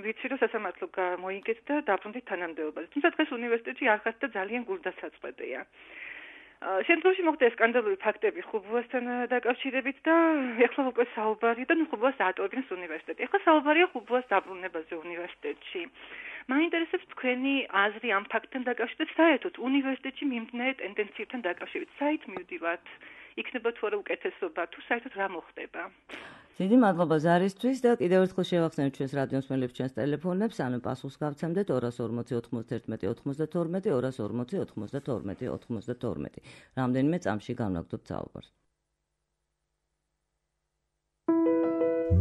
Speaker 4: ვიცი, რომ სასამართლო გამოიგეთ და დაბრუნდით თანამდებობაზე. თუმცა დღეს უნივერსიტეტში არ ხართ და ძალიან გულდასაწყვეტია. შემდგომში მოხდა სკანდალური ფაქტები ხუბუასთან დაკავშირებით და ეხლა უკვე საუბარია და ხუბუას დაატოვებინეს უნივერსიტეტი. ეხლა საუბარია ხუბუას დაბრუნებაზე უნივერსიტეტში. მაინტერესებს თქვენი აზრი ამ ფაქტთან დაკავშირებით, საერთოდ უნივერსიტეტში მიმდინარე ტენდენციებთან დაკავშირებით, საით მივდივართ? იქნება თუ არა უკეთესობა, თუ საერთოდ რა მოხდება?
Speaker 2: დიდი მადლობა ზარისთვის და კიდევ ერთხელ შევახსენებთ ჩვენს რადიოს მსმენელებს ჩვენს ტელეფონებს, ანუ პასუხს გავცემდეთ ორას ორმოცი ოთხმოცდაერთმეტი ოცდათორმეტი, ორას ორმოცი ოთხმოცდათორმეტი ოცდათორმეტი. რამდენიმე წამში განვაგრძობთ საუბარს.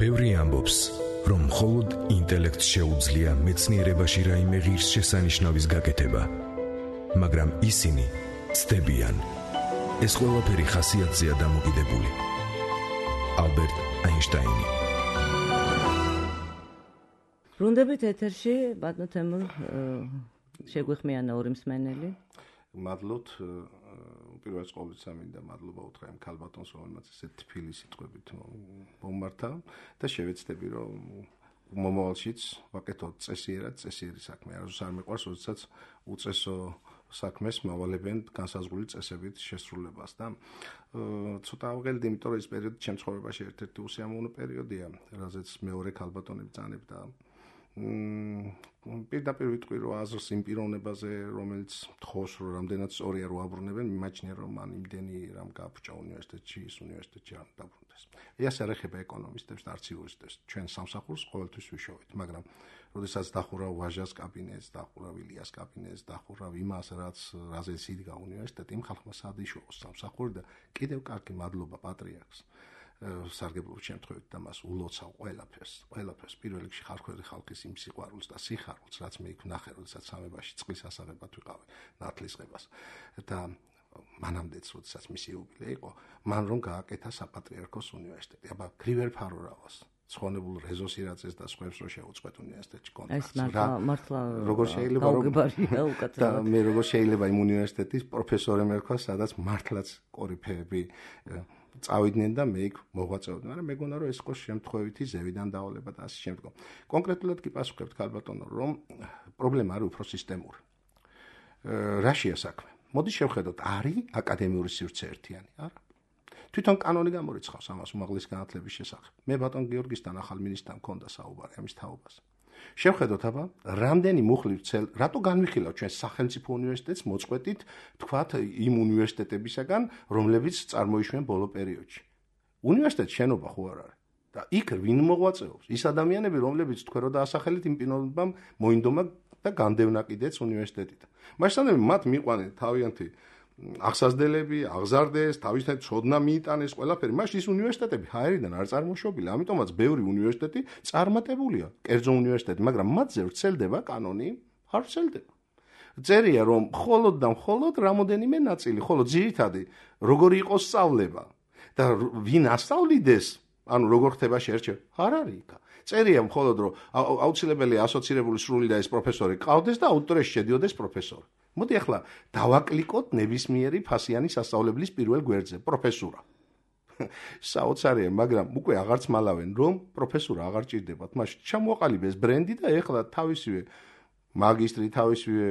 Speaker 1: ბევრი ამბობს, რომ მხოლოდ ინტელექტს შეუძლია მეცნიერებაში რაიმე ღირსშესანიშნავის გაკეთება, მაგრამ ისინი ცდებიან. ეს ყველაფერი ხასიათზეა დამოკიდებული. ალბერტ აინშტაინი.
Speaker 2: ბრუნდებით ეთერში, ბატონო თემურ, შეგვიხმიანა ორი მსმენელი.
Speaker 3: მადლობთ, უპირველეს ყოვლისა მინდა მადლობა უთხრა იმ ქალბატონს, რომელმაც ესე თბილი სიტყვებით მომმართა და შევეცდები, რომ მომავალშიც ვაკეთოთ წესიერად, წესიერი საქმე. არასდროს არ მიყვარს, როდესაც უწესო საქმეს მავალებენ განსაზღვრული წესებით შესრულებას და ცოტა ავღელდი, იმიტომ რომ ეს პერიოდი ჩემ ცხოვრებაში ერთ-ერთი უსიამოვნო პერიოდია, რაზეც მეორე ქალბატონები ბრძანებ და პირდაპირ ვიტყვი, რომ აზრს იმ პიროვნებაზე, რომელიც თხოვს, რომ რამდენად სწორია რო აბრუნებენ, მიმაჩნია, რომ მან იმდენი რამ გააფუჭა უნივერსიტეტში, ის უნივერსიტეტში არ დაბრუნდეს. ეს არ ეხება ეკონომისტებს და არც იურისტებს. ჩვენ სამსახურს ყოველთვის ვიშოვით, მაგრამ როდესაც დახურავ ვაჟას კაბინეტს, დახურავ ილიას კაბინეტს, დახურავ იმას, რაც რაზეც იდგა უნივერსიტეტი, იმ ხალხმა სად იშოვოს სამსახური და კიდევ კარგი მადლობა პატრიარქს. სარგებლობის შემთხვევით და მას ულოცავ ყველაფერს, ყველაფერს პირველ რიგში ხალხური ხალხის იმ სიყვარულს და სიხარულს, რაც მე იქ ვნახე, როდესაც სამებაში წყლის ასაღებად ვიყავი, ნათლისღებას და მანამდეც, როდესაც მისი იუბილე იყო, მან რომ გააკეთა საპატრიარქოს უნივერსიტეტი. აბა, გრივერ ფარორავას, ცხონებულ რეზოსირაძეს და სხვებს რო შეუწყვეთ უნივერსიტეტში კონტრაქტს.
Speaker 2: რა მართლა
Speaker 3: როგორ შეიძლება რომ და მე როგორ შეიძლება იმ უნივერსიტეტის პროფესორი მერქვა, სადაც მართლაც კორიფეები წავიდნენ და მე იქ მოღვაწეობდი, მაგრამ მეგონა რომ ეს იყო შემთხვევითი ზევიდან დავალება და ასე შემდგომ. კონკრეტულად კი პასუხებთ ქალბატონო, რომ პრობლემა არის უფრო სისტემური. რაშია საქმე? მოდი შევხედოთ, არის აკადემიური სივრცე ერთიანი, არა? თვითონ კანონი გამორიცხავს ამას უმაღლესი განათლების შესახებ. მე ბატონ გიორგისთან ახალ მინისტრთან მქონდა საუბარი ამის თაობაზე. შევხედოთ აბა, რამდენი მუხლივ ცელ, რატო განვიხილავ ჩვენ სახელმწიფო უნივერსიტეტს მოწყვეტით, თქვათ იმ უნივერსიტეტებისაგან, რომლებიც წარმოიშვნენ ბოლო პერიოდში. უნივერსიტეტის შენობა ხო არ არის? და იქ ვინ მოღვაწეობს? ის ადამიანები, რომლებიც თქვენ რო დაასახელეთ იმ პიროვნებამ მოინდომა და განდევნა კიდეც უნივერსიტეტით. მასშტაბები მათ მიყვანენ თავიანთი აღსაზრდელები, აღზარდეს, თავისთავად ცოდნა მიიტანეს ყველაფერი. მაშინ ის უნივერსიტეტები ჰაერიდან არ წარმოშობილი, ამიტომაც ბევრი უნივერსიტეტი წარმატებულია, კერძო უნივერსიტეტი, მაგრამ მათზე ვრცელდება კანონი, არ ვრცელდება. წერია რომ მხოლოდ და მხოლოდ რამოდენიმე ნაწილი, ხოლო ძირითადი როგორი იყოს სწავლება და ვინ ასწავლიდეს, ანუ როგორ ხდება შერჩევა, არ არის იქ. წერია მხოლოდ რომ აუცილებელია ასოცირებული სრული და ეს პროფესორი ყავდეს და აუდიტორიაში შედიოდეს პროფესორი. მოდი ახლა დავაკლიკოთ ნებისმიერი ფასიანი სასწავლებლის პირველ გვერდზე პროფესურა. საოცარია, მაგრამ უკვე აღარც მალავენ, რომ პროფესურა აღარ ჭირდებათ. მაშინ ჩამოაყალიბეს ბრენდი და ეხლა თავისივე მაგისტრი, თავისივე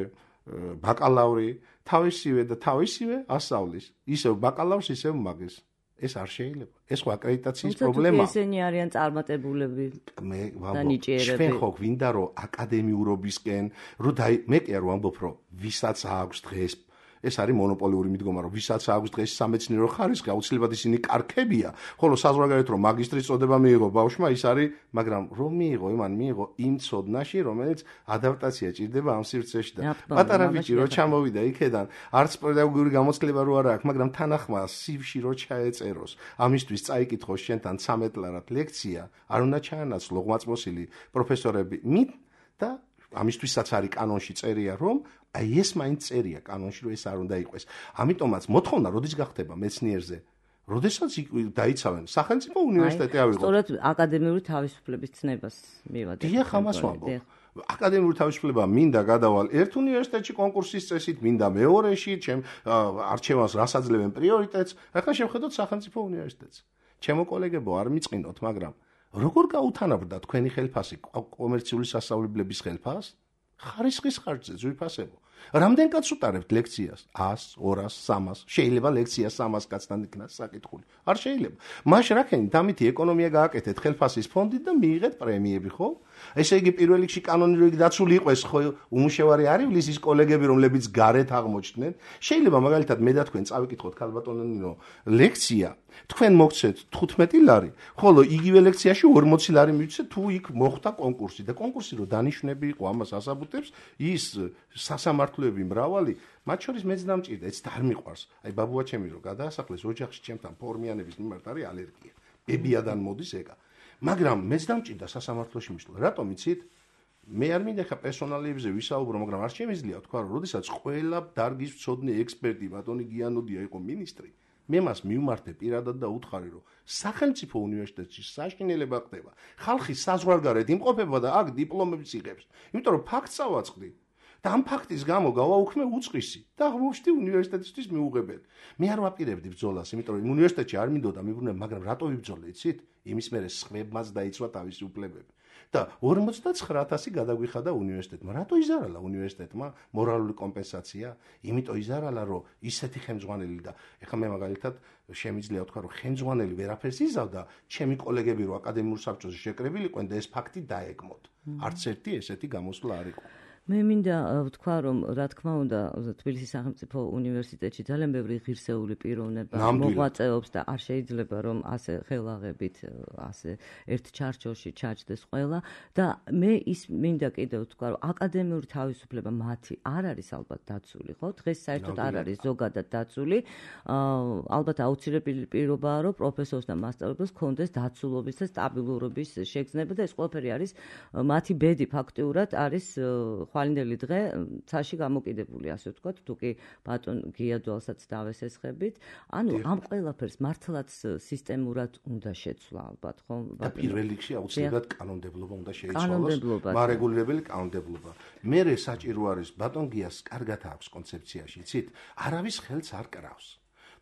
Speaker 3: ბაკალავრი, თავისივე და თავისივე ასწავლის. ისევ ბაკალავრს, ისევ მაგის. ეს არ შეიძლება. ეს ხო აკრედიტაციის პრობლემაა.
Speaker 2: ესენი არიან წარმატებულები
Speaker 3: მე
Speaker 2: და ნიჭიერები.
Speaker 3: ჩვენ ხო გვინდა რომ აკადემიურობისკენ, რომ მე კი არ ვამბობ, რომ ვისაც აქვს დღეს ეს არის მონოპოლიური მიდგომა, რომ ვისაც აქვს დღეს სამეცნიერო ხარისხი, აუცილებლად ისინი კარგებია, ხოლო საზღვარგარეთ რომ მაგისტრის წოდება მიიღო ბავშვმა, ის არის, მაგრამ რომ მიიღო, იმან მიიღო იმ ცოდნაში, რომელიც ადაპტაცია ჭირდება ამ სივრცეში და პატარა ბიჭი რო ჩამოვიდა იქედან, არც პედაგოგიური გამოცდილება რო არ აქვს, მაგრამ თანახმა სივში რო ჩაეწეროს, ამისთვის წაიკითხოს შენთან ცამეტ ლარად ლექცია, არ უნდა ჩაანაცვლო ღვაწმოსილი პროფესორები მით და ამისთვისაც არის კანონში წერია, რომ აი ეს მაინც წერია კანონში, რომ ეს არ უნდა იყოს. ამიტომაც მოთხოვნა როდის გახდება მეცნიერზე? როდესაც დაიცავენ სახელმწიფო უნივერსიტეტი ავიღო.
Speaker 2: სწორედ აკადემიური თავისუფლების ცნებას მივადი.
Speaker 3: დიახ, ამას ვამბობ. აკადემიური თავისუფლება მინდა გადავალ ერთ უნივერსიტეტში კონკურსის წესით, მინდა მეორეში, ჩემ არჩევანს რას აძლევენ პრიორიტეტს. ახლა შევხედოთ სახელმწიფო უნივერსიტეტს. ჩემო კოლეგებო, არ მიწყინოთ, მაგრამ როგორ გაუთანაბრდა თქვენი ხელფასი კომერციული სასწავლებლების ხელფას? ხარისხის ხარჯზე ზვიფასებო. რამდენ კაცს უტარებთ ლექციას? ას, ორას, სამას. შეიძლება ლექცია სამას კაცთან იქნას საკითხული. არ შეიძლება. მაშ რაკენი დამითი ეკონომია გააკეთეთ ხელფასის ფონდით და მიიღეთ პრემიები, ხო? ესე იგი პირველ რიგში კანონი რო დაცული იყოს, ხო უმუშევარი არ ივლის ის კოლეგები, რომლებიც გარეთ აღმოჩნდნენ. შეიძლება მაგალითად მე და თქვენ წავიკითხოთ ქალბატონო ნინო ლექცია, თქვენ მოგცეთ თხუთმეტი ლარი, ხოლო იგივე ლექციაში ორმოცი ლარი მივცეთ თუ იქ მოხდა კონკურსი და კონკურსი რო დანიშნები იყო ამას ასაბუთებს ის სასამართლოები მრავალი, მათ შორის მეც დამჭირდა, ეც არ მიყვარს. აი ბაბუა ჩემი რო გადაასახლეს ოჯახში ჩემთან ფორმიანების მიმართ არის ალერგია. ბებიადან მოდის ეგა. მაგრამ მეც დამჭირდა სასამართლოში მისვლა. რატომ იცით? მე არ მინდა ხა პერსონალიებზე ვისაუბრო, მაგრამ არ შემიძლია თქვა, რომ როდესაც ყველა დარგის მცოდნე ექსპერტი ბატონი გიანოდია იყო მინისტრი, მე მას მივმართე პირადად და უთხარი, რომ სახელმწიფო უნივერსიტეტში საშინელება ხდება. ხალხი საზღვარგარეთ იმყოფება და აქ დიპლომებს იღებს. იმიტომ რომ ფაქტს ავაწყდი. და ამ ფაქტის გამო გავაუქმე უწყისი და აღმოჩნდი უნივერსიტეტისთვის მიუღებელი. მე არ ვაპირებდი ბრძოლას, იმიტომ რომ უნივერსიტეტში არ მინდოდა მიბრუნება, მაგრამ რატო ვიბრძოლე, იცით? იმის მერე სხვებმაც დაიცვა თავისი უფლებები. და ორმოცდაცხრა ათასი გადაგვიხადა უნივერსიტეტმა. რატო იზარალა უნივერსიტეტმა მორალური კომპენსაცია? იმიტომ იზარალა, რომ ისეთი ხელმძღვანელი და ეხლა მე მაგალითად შემიძლია ვთქვა, რომ ხელმძღვანელი ვერაფერს იზავდა, ჩემი კოლეგები რო აკადემიურ საბჭოზე შეკრებილიყვენ და ეს ფაქტი დაეგმოთ. არც ერთი ესეთი გამოსვლა არ იყო.
Speaker 2: მე მინდა ვთქვა, რომ რა თქმა უნდა თბილისის სახელმწიფო უნივერსიტეტში ძალიან ბევრი ღირსეული პიროვნება მოღვაწეობს და არ შეიძლება რომ ასე ხელაღებით ასე ერთ ჩარჩოში ჩაჯდეს ყველა და მე ის მინდა კიდევ ვთქვა, რომ აკადემიური თავისუფლება მათი არ არის ალბათ დაცული, ხო? დღეს საერთოდ არ არის ზოგადად დაცული. ალბათ აუცილებელი პირობაა, რომ პროფესორს და მასწავლებელს ჰქონდეს დაცულობის და სტაბილურობის შეგრძნება და ეს ყველაფერი არის მათი ბედი ფაქტიურად არის ხვალინდელი დღე ცაში გამოკიდებული, ასე ვთქვათ, თუ კი ბატონ გიადვალსაც დავესესხებით. ანუ ამ ყველაფერს მართლაც სისტემურად უნდა შეცვლა ალბათ, ხო?
Speaker 3: და პირველ რიგში აუცილებლად კანონმდებლობა უნდა შეიცვალოს, მარეგულირებელი კანონმდებლობა. მერე საჭირო არის ბატონ გიას კარგად აქვს კონცეფციაში, იცით? არავის ხელს არ კრავს.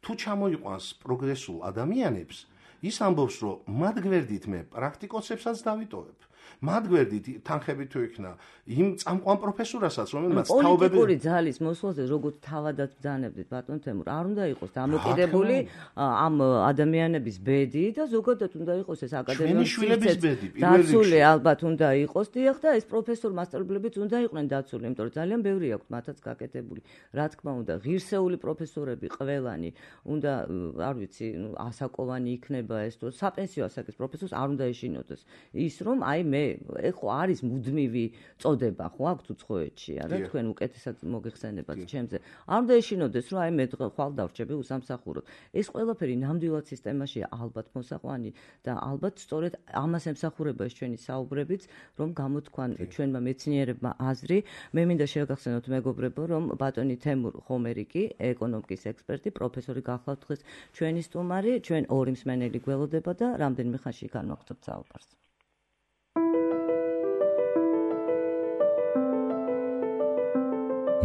Speaker 3: თუ ჩამოიყვანს პროგრესულ ადამიანებს, ის ამბობს, რომ მათ გვერდით მე პრაქტიკოსებსაც დავიტოვებ. მათ გვერდით თანხები თუ იქნა იმ წამყვან პროფესორასაც, რომელმაც თაობები
Speaker 2: პოლიტიკური ძალის მოსვლაზე როგორც თავადაც ბრძანებდით ბატონ თემურ, არ უნდა იყოს დამოკიდებული ამ ადამიანების ბედი და ზოგადად უნდა იყოს ეს აკადემიური
Speaker 3: შვილების ბედი.
Speaker 2: დაცული ალბათ უნდა იყოს, დიახ, და ეს პროფესორ მასწავლებლებიც უნდა იყვნენ დაცული, იმიტომ რომ ძალიან ბევრი აქვს მათაც გაკეთებული. რა თქმა უნდა, ღირსეული პროფესორები ყველანი უნდა, არ ვიცი, ასაკოვანი იქნება ეს თუ საპენსიო ასაკის პროფესორს არ უნდა ეშინოდეს. ის რომ აი მე ეხო არის მუდმივი წოდება, ხო აქვთ უცხოეთში, არა თქვენ უკეთესად მოგეხსენებათ ჩემზე. არ უნდა ეშინოდეს, რომ აი მე ხვალ დავრჩები უსამსახუროდ. ეს ყველაფერი ნამდვილად სისტემაშია ალბათ მოსაყვანი და ალბათ სწორედ ამას ემსახურება ეს ჩვენი საუბრებიც, რომ გამოთქვან ჩვენმა მეცნიერებმა აზრი. მე მინდა შევგახსენოთ მეგობრებო, რომ ბატონი თემურ ხომერიკი, ეკონომიკის ექსპერტი, პროფესორი გახლავთ დღეს ჩვენი სტუმარი, ჩვენ ორი მსმენელი გველოდება და რამდენიმე ხანში განვაგრძობთ საუბარს.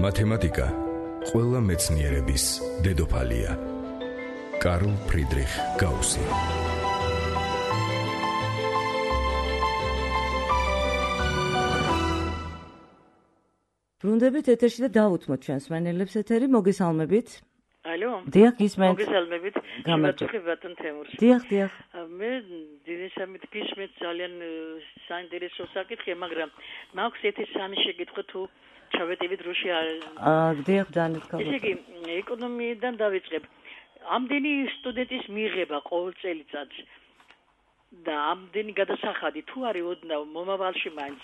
Speaker 1: მათემატიკა ყველა მეცნიერების დედოფალია. კარლ ფრიდრიხ გაუსი.
Speaker 2: ბრუნდებით ეთერში და დავუთმოთ ჩვენს მსმენელებს ეთერი, მოგესალმებით.
Speaker 5: ალო.
Speaker 2: დიახ, გისმენთ.
Speaker 5: მოგესალმებით.
Speaker 2: გამარჯობა
Speaker 5: ბატონ თემურ.
Speaker 2: დიახ, დიახ.
Speaker 5: მე დინესამით გისმენთ ძალიან საინტერესო საკითხია, მაგრამ მაქვს ერთი სამი შეკითხვა თუ ჩავეტივით რუში არ.
Speaker 2: აა, დიახ, დანეთქავთ.
Speaker 5: ესე იგი, ეკონომიიდან დავიწყებ. ამდენი სტუდენტის მიღება ყოველ წელიწადს და ამდენი გადასახადი თუ არის ოდნავ მომავალში მაინც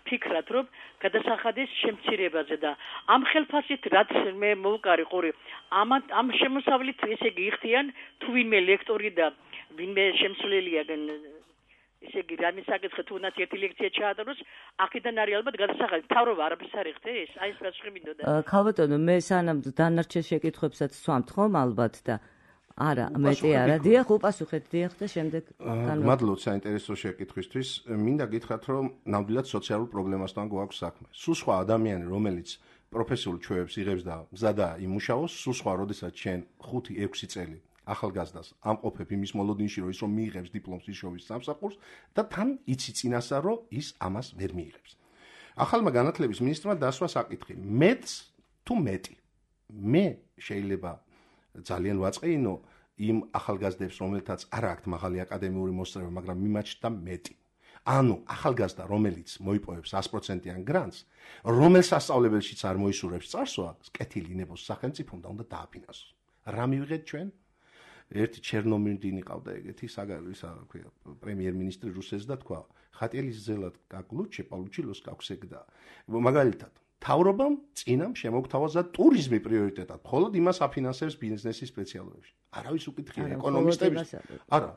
Speaker 5: ფიქრად რომ გადასახადის შემცირებაზე და ამ ხელფასით რაც მე მოვყარი ყური ამ ამ შემოსავლით ესე იგი იხდიან თუ ვინმე ლექტორი და ვინმე შემსვლელია ესე იგი რამე საკითხი თუ უნდა ერთი ლექცია ჩაატაროს აქედან არის ალბათ გადასახადი თავრობა არაფერს არ იხდი ეს აი ეს პასუხი მინდოდა
Speaker 2: ქალბატონო მე სანამ დანარჩენ შეკითხვებსაც სვამთ ხომ ალბათ და არა მეტი არა დიახ უპასუხეთ დიახ და შემდეგ
Speaker 3: მადლობთ საინტერესო შეკითხვისთვის მინდა გითხრათ რომ ნამდვილად სოციალურ პრობლემასთან გვაქვს საქმე სულ სხვა ადამიანი რომელიც პროფესიულ ჩვევებს იღებს და მზადა იმუშაოს სულ სხვა როდესაც შენ ხუთი ექვსი წელი ახალგაზრდას ამყოფებ იმის მოლოდინში რომ ის რომ მიიღებს დიპლომს ისოვის სამსახურს და თან იცი წინასწარ რომ ის ამას ვერ მიიღებს ახალმა განათლების მინისტრმა დასვა საკითხი მეც თუ მეტი მე შეიძლება ძალიან ვაწყეინო იმ ახალგაზრდებს რომელთაც არ აქვთ მაღალი აკადემიური მოსწრება მაგრამ მიმაჩნდა მეტი ანუ ახალგაზრდა, რომელიც მოიპოვებს ას პროცენტიან გრანტს, რომელ სასწავლებელშიც არ მოისურვებს წარსვა, კეთილი ნებოს სახელმწიფომ და უნდა დააფინანსოს. რა მივიღეთ ჩვენ? ერთი ჩერნომირდინი ყავდა ეგეთი საგარი, ისა ქვია, პრემიერ-მინისტრი რუსეთს და თქვა, ხატილის ზელად კაკლუჩე, პალუჩილოს კაქვსეგდა. მაგალითად, თავრობამ წინამ შემოგთავაზა ტურიზმი პრიორიტეტად, მხოლოდ იმას აფინანსებს ბიზნესის სპეციალობებში. არავის უკითხია ეკონომისტების. არა,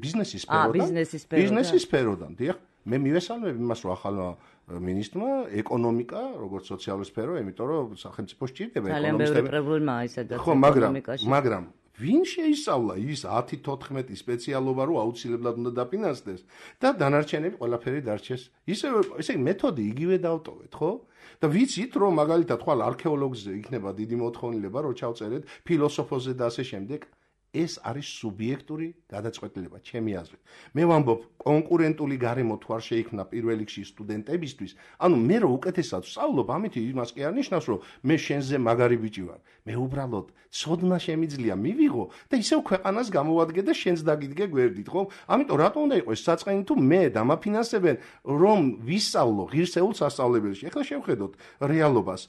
Speaker 3: ბიზნესის სფეროდან. ბიზნესის სფეროდან, დიახ. მე მივესალმებ იმას, რომ ახალმა მინისტრმა ეკონომიკა, როგორც სოციალური სფერო, იმიტომ რომ სახელმწიფო სჭირდება ეკონომისტები. ძალიან ბევრი პრობლემაა ისედაც ეკონომიკაში. მაგრამ ვინ შეისწავლა ის ათი თოთხმეტი სპეციალობა, რომ აუცილებლად უნდა დაფინანსდეს და დანარჩენები ყველაფერი დარჩეს. ისე ესე მეთოდი იგივე დავტოვეთ, ხო? და ვიცით, რომ მაგალითად ხვალ არქეოლოგზე იქნება დიდი მოთხოვნილება, რომ ჩავწერეთ ფილოსოფოსზე და ასე შემდეგ. ეს არის სუბიექტური გადაწყვეტილება, ჩემი აზრით. მე ვამბობ, კონკურენტული გარემო თუ არ შეიქმნა პირველ რიგში სტუდენტებისთვის, ანუ მე რო უკეთესად ვსწავლობ, ამით იმას კი არ ნიშნავს, რომ მე შენზე მაგარი ბიჭი ვარ. მე უბრალოდ ცოდნა შემიძლია მივიღო და ისევ ქვეყანას გამოვადგე და შენს დაგიდგე გვერდით, ხო? ამიტომ რატომ უნდა იყოს საწყენი თუ მე დამაფინანსებენ, რომ ვისწავლო ღირსეულ სასწავლებელში. ეხლა შევხედოთ რეალობას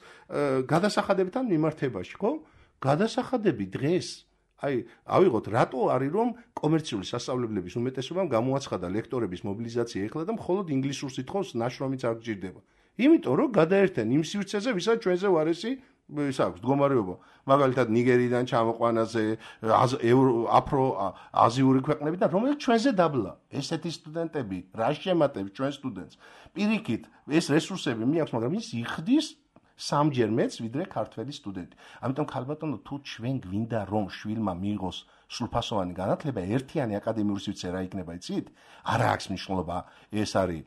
Speaker 3: გადასახადებთან მიმართებაში, ხო? გადასახადები დღეს აი, ავიღოთ, რატო არის რომ კომერციული სასწავლებლების უმეტესობამ გამოაცხადა ლექტორების მობილიზაცია ეხლა და მხოლოდ ინგლისურს ითხოვს, ნაშრომიც არ გჭირდება. იმიტომ რომ გადაერთენ იმ სივრცეზე, ვისაც ჩვენზე ვარესი ის აქვს მდგომარეობა. მაგალითად ნიგერიდან ჩამოყვანაზე, აფრო აზიური ქვეყნებიდან, რომელიც ჩვენზე დაბლა. ესეთი სტუდენტები, რა შემატებს ჩვენ სტუდენტს. პირიქით, ეს რესურსები მიაქვს, მაგრამ ის იხდის სამჯერ მეც ვიდრე ქართველი სტუდენტი. ამიტომ ქალბატონო, თუ ჩვენ გვინდა რომ შვილმა მიიღოს სრულფასოვანი განათლება, ერთიანი აკადემიური სივრცე რა იქნება, იცით? არა აქვს მნიშვნელობა, ეს არის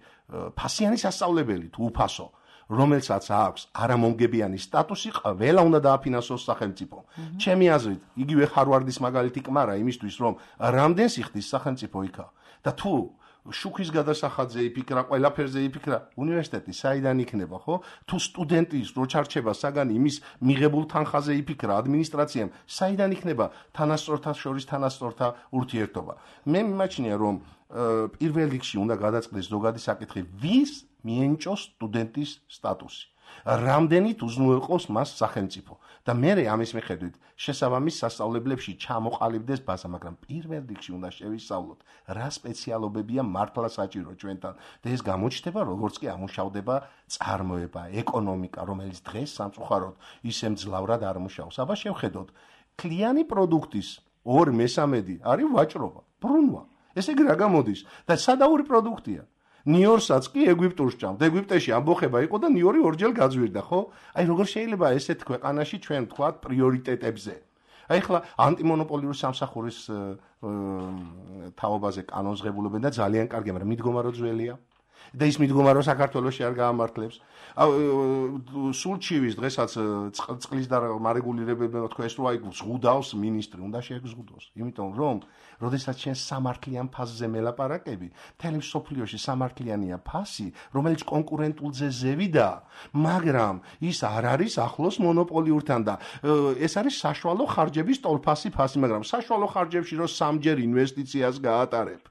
Speaker 3: ფასიანი სასწავლებელი თუ უფასო, რომელსაც აქვს არამომგებიანი სტატუსი, ყველა უნდა დააფინანსოს სახელმწიფომ. ჩემი აზრით, იგივე ხარვარდის მაგალითი კმარა იმისთვის, რომ რამდენს იხდის სახელმწიფო იქა და თუ შუქის გადასახადზე იფიქრა, ყველაფერზე იფიქრა, უნივერსიტეტი საიდან იქნება, ხო? თუ სტუდენტის რო ჩარჩება საგანი იმის მიღებულ თანხაზე იფიქრა, ადმინისტრაციამ საიდან იქნება თანასწორთა შორის თანასწორთა ურთიერთობა. მე მიმაჩნია, რომ პირველ რიგში უნდა გადაწყდეს ზოგადი საკითხი, ვის მიენჭოს სტუდენტის სტატუსი. რამდენით უზრუნველყოს მას სახელმწიფო და მე ამის მიხედვით შესაბამის სასწავლებლებში ჩამოყალიბდეს ბაზა, მაგრამ პირველ რიგში უნდა შევისწავლოთ, რა სპეციალობებია მართლა საჭირო ჩვენთან და ეს გამოჩნდება, როგორც კი ამუშავდება წარმოება, ეკონომიკა, რომელიც დღეს სამწუხაროდ ისე მძლავრად არ მუშაობს. აბა შევხედოთ, ქლიანი პროდუქტის ორი მესამედი არის ვაჭრობა, ბრუნვა. ესე იგი რა გამოდის და სადაური პროდუქტია. ნიორსაც კი ეგვიპტურს ჭამთ. ეგვიპტეში ამბოხება იყო და ნიორი ორჯერ გაძვირდა, ხო? აი როგორ შეიძლება ესეთ ქვეყანაში ჩვენ ვთქვათ პრიორიტეტებზე. აი ხლა ანტიმონოპოლიური სამსახურის თაობაზე კანონს ღებულობენ და ძალიან კარგია, მაგრამ მიდგომა რო ძველია. და ის მიდგომა რომ საქართველოში არ გაამართლებს. სულჩივის დღესაც წყლის და მარეგულირებებმა თქვა ეს რო აი ზღუდავს მინისტრი, უნდა შეეგზუდოს. იმიტომ რომ როდესაც ჩვენ სამართლიან ფასზე მელაპარაკები, მთელი მსოფლიოში სამართლიანია ფასი, რომელიც კონკურენტულზე ზევიდა, მაგრამ ის არ არის ახლოს მონოპოლიურთან და ეს არის საშუალო ხარჯების ტოლფასი ფასი, მაგრამ საშუალო ხარჯებში რომ სამჯერ ინვესტიციას გაატარებ.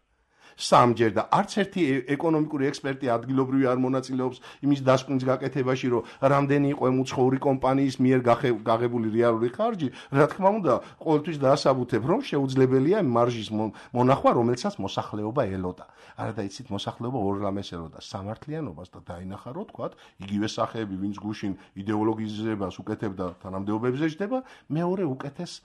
Speaker 3: სამჯერ და არც ერთი ეკონომიკური ექსპერტი ადგილობრივი არ მონაწილეობს იმის დასკვნის გაკეთებაში, რომ რამდენი იყო ემუცხოვრი კომპანიის მიერ გაღებული რეალური ხარჯი, რა თქმა უნდა, ყოველთვის დაასაბუთებ, რომ შეუძლებელია მარჟის მონახვა, რომელსაც მოსახლეობა ელოდა. არა და იცით, მოსახლეობა ორ რამეს ელოდა, სამართლიანობას და დაინახა, რომ თქვათ, იგივე სახეები, ვინც გუშინ იდეოლოგიზებას უკეთებდა თანამდებობებზე ჯდება, მეორე უკეთეს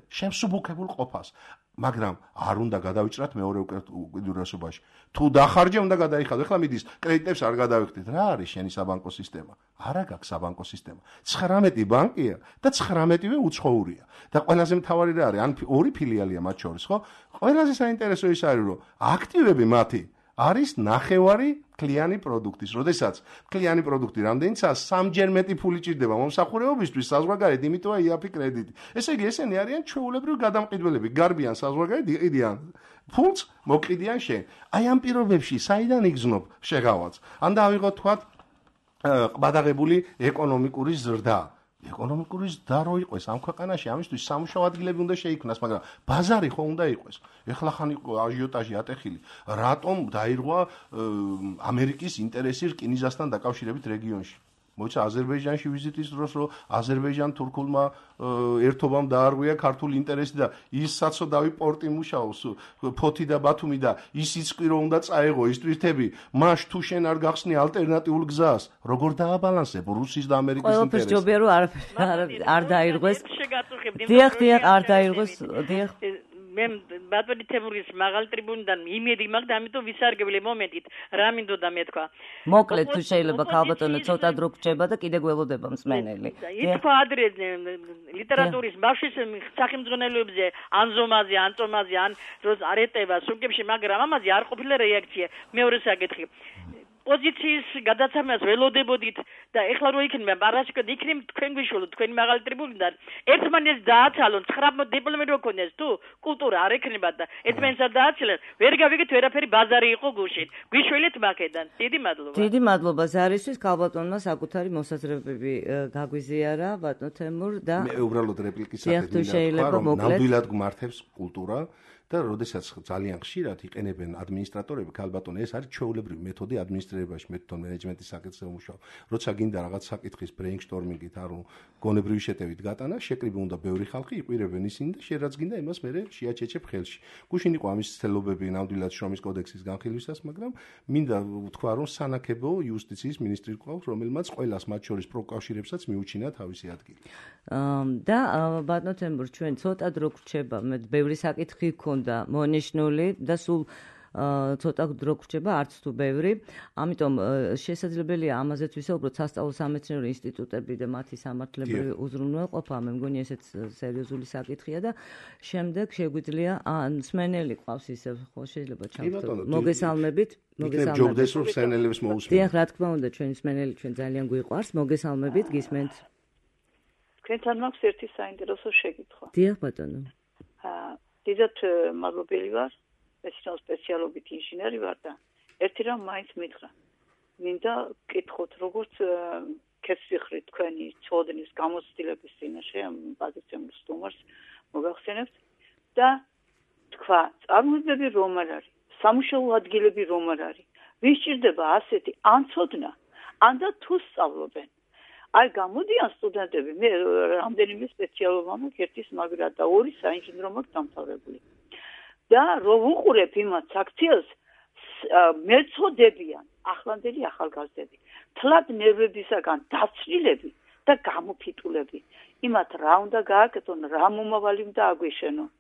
Speaker 3: შემსუბუქებულ ყოფას. მაგრამ არ უნდა გადავიჭრათ მეორე უკიდურესობაში. თუ დახარჯე, უნდა გადაიხადო. ეხლა მიდის კრედიტებს არ გადავიხდით. რა არის შენი საბანკო სისტემა? არა გაქვს საბანკო სისტემა. ცხრამეტი ბანკია და ცხრამეტივე უცხოურია. და ყველაზე მთავარი რა არის? ან ორი ფილიალია მათ შორის, ხო? ყველაზე საინტერესო ის არის, რომ აქტივები მათი არის ნახევარი ქლიანი პროდუქტის. როდესაც ქლიანი პროდუქტი რამდენიცაა, სამჯერ მეტი ფული ჭირდება მომსახურებობისთვის საზღვარგარეთ, იმიტომა იაფი კრედიტი. ესე იგი, ესენი არიან ჩვეულებრივი გადამყიდველები, გარბიან საზღვარგარეთ, იყიდიან ფულს, მოკიდიან შენ. აი ამ პირობებში საიდან იგზნობ შეღავაც? ან დავიღოთ თქვათ ყბადაღებული ეკონომიკური ზრდა. ეკონომიკური ზრდა რო იყოს ამ ქვეყანაში, ამისთვის სამუშაო ადგილები უნდა შეიქმნას, მაგრამ ბაზარი ხო უნდა იყოს. ეხლა ხან იყო აჟიოტაჟი ატეხილი. რატომ დაირღვა ამერიკის ინტერესი რკინიგზასთან დაკავშირებით რეგიონში? მოიცა აზერბაიჯანში ვიზიტის დროს რომ აზერბაიჯან-თურქულმა ერთობამ დაარღვია ქართული ინტერესი და ის საცოდავი პორტი მუშაობს ფოთი და ბათუმი და ისიც კი რომ უნდა წაეღო ის ტვირთები მაშ თუ შენ არ გახსნი ალტერნატიულ გზას როგორ დააბალანსებ რუსის და ამერიკის ინტერესს
Speaker 2: ყველაფერს ჯობია რომ არ არ დაირღვეს დიახ დიახ არ დაირღვეს დიახ
Speaker 5: მე ბატონი თემურის მაღალ ტრიბუნიდან იმედი მაქვს და ამიტომ ვისარგებლე მომენტით რა მინდოდა მეთქვა
Speaker 2: მოკლედ თუ შეიძლება ქალბატონო ცოტა დრო გრჩება და კიდე გველოდება მსმენელი
Speaker 5: ითქვა ადრე ლიტერატურის ბავშვის სახელმძღვანელოებზე ანზომაზე ანტომაზე ან როს არ ეტევა სუნკებში მაგრამ ამაზე არ ყოფილა რეაქცია მეორე საკითხი პოზიციის გადაცემას ველოდებოდით და ეხლა რო იქნება პარასკოდ იქნებ თქვენ გვიშველოთ თქვენი მაღალი ტრიბუნიდან ერთმანეთს დააცალონ ცხრა დიპლომი რო ქონდეს თუ კულტურა არ ექნება და ერთმანეთს დააცალონ ვერ გავიგეთ ვერაფერი ბაზარი იყო გუშინ გვიშველეთ მაქედან დიდი მადლობა
Speaker 2: დიდი მადლობა ზარისთვის ქალბატონმა საკუთარი მოსაზრებები გაგვიზიარა ბატონ თემურ და
Speaker 3: მე უბრალოდ რეპლიკის
Speaker 2: სახით
Speaker 3: რომ ნამდვილად გმართებს კულტურა და როდესაც ძალიან ხშირად იყენებენ ადმინისტრატორები ქალბატონო ეს არის ჩვეულებრივი მეთოდი ადმინისტრირებაში მეთოდო მენეჯმენტის საკითხზე მუშაობ როცა გინდა რაღაც საკითხის ბრეინსტორმინგით არ გონებრივი შეტევით გატანა შეკრიბი უნდა ბევრი ხალხი იყურებენ ისინი და შენ რაც გინდა იმას მე შეაჩეჩებ ხელში გუშინ იყო ამის ცდილობები ნამდვილად შრომის კოდექსის განხილვისას მაგრამ მინდა ვთქვა რომ სანაკებო იუსტიციის მინისტრი ყავს რომელმაც ყველას მათ შორის პროკავშირებსაც მიუჩინა თავისი ადგილი
Speaker 2: და ბატონ თემურ ჩვენ ცოტა დრო გრჩება მე ბევრი საკითხი და მონიშნული და სულ ცოტა დრო გრჩება არც თუ ბევრი ამიტომ შესაძლებელია ამაზეც ვისაუბროთ სასწავლო სამეცნიერო ინსტიტუტები და მათი სამართლებრივი უზრუნველყოფა მე მგონი ესეც სერიოზული საკითხია და შემდეგ შეგვიძლია ან მსმენელი ყავს ისე ხო შეიძლება ჩავთვალოთ მოგესალმებით
Speaker 3: მოგესალმებით ჯობდეს რომ მსმენელებს მოусმენთ
Speaker 2: დიახ რა თქმა უნდა ჩვენი მსმენელი ჩვენ ძალიან გვიყვარს მოგესალმებით გისმენთ
Speaker 6: თქვენთან მაქვს ერთი საინტერესო შეკითხვა
Speaker 2: დიახ ბატონო
Speaker 6: დიდად მადლობელი ვარ, მეცნიერულ სპეციალობით ინჟინერი ვარ და ერთი რამ მაინც მითხრა. მინდა გკითხოთ, როგორც კეთილხრი თქვენი წოდნის გამოცდილების წინაშე ამ პოზიციურ სტუმარს მოგახსენებთ და თქვა, წარმოებები რომ არ არის, სამუშაო ადგილები რომ არ არის. ვის სჭირდება ასეთი ან წოდნა, ან და თუ სწავლობენ. აი გამოდიან სტუდენტები მე რამდენიმე სპეციალობა მაქვს ერთის მაგრა და ორი საინჟინრო მაქვს დამთავრებული და რო ვუყურებ იმათ აქციას მეწოდებიან ახლანდელი ახალგაზრდები თლად ნერვებისაგან დაცვლილები და გამოფიტულები იმათ რა უნდა გააკეთონ რა მომავალი უნდა აგვეშენონ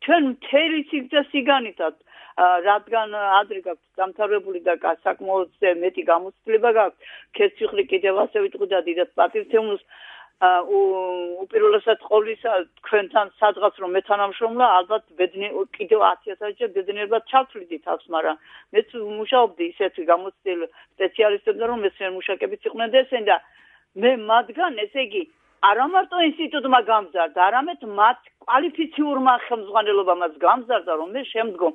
Speaker 6: ჩვენ მთელი სიგრძე სიგანითად რადგან ადრე გაქვს დამთავრებული და საკმაოდ მეტი გამოცდილება გაქვს კეთილხრი კიდევ ასე ვიტყვი და დიდად პატივცემულს უპირველესად ყოვლისა თქვენთან სადღაც რომ მეთანამშრომლა ალბათ კიდევ ათი ათასჯერ ბედნიერად ჩავთვლიდით თავს მაგრამ მეც მუშაობდი ისეთი გამოცდილ სპეციალისტებთან რომ მეცნიერ მუშაკებიც იყვნენ და ესენ და მე მათგან ესე იგი არა მარტო ინსტიტუტმა გამზარდა, არამედ მათ კვალიფიციურმა ხელმძღვანელობამაც გამზარდა, რომ მე შემდგომ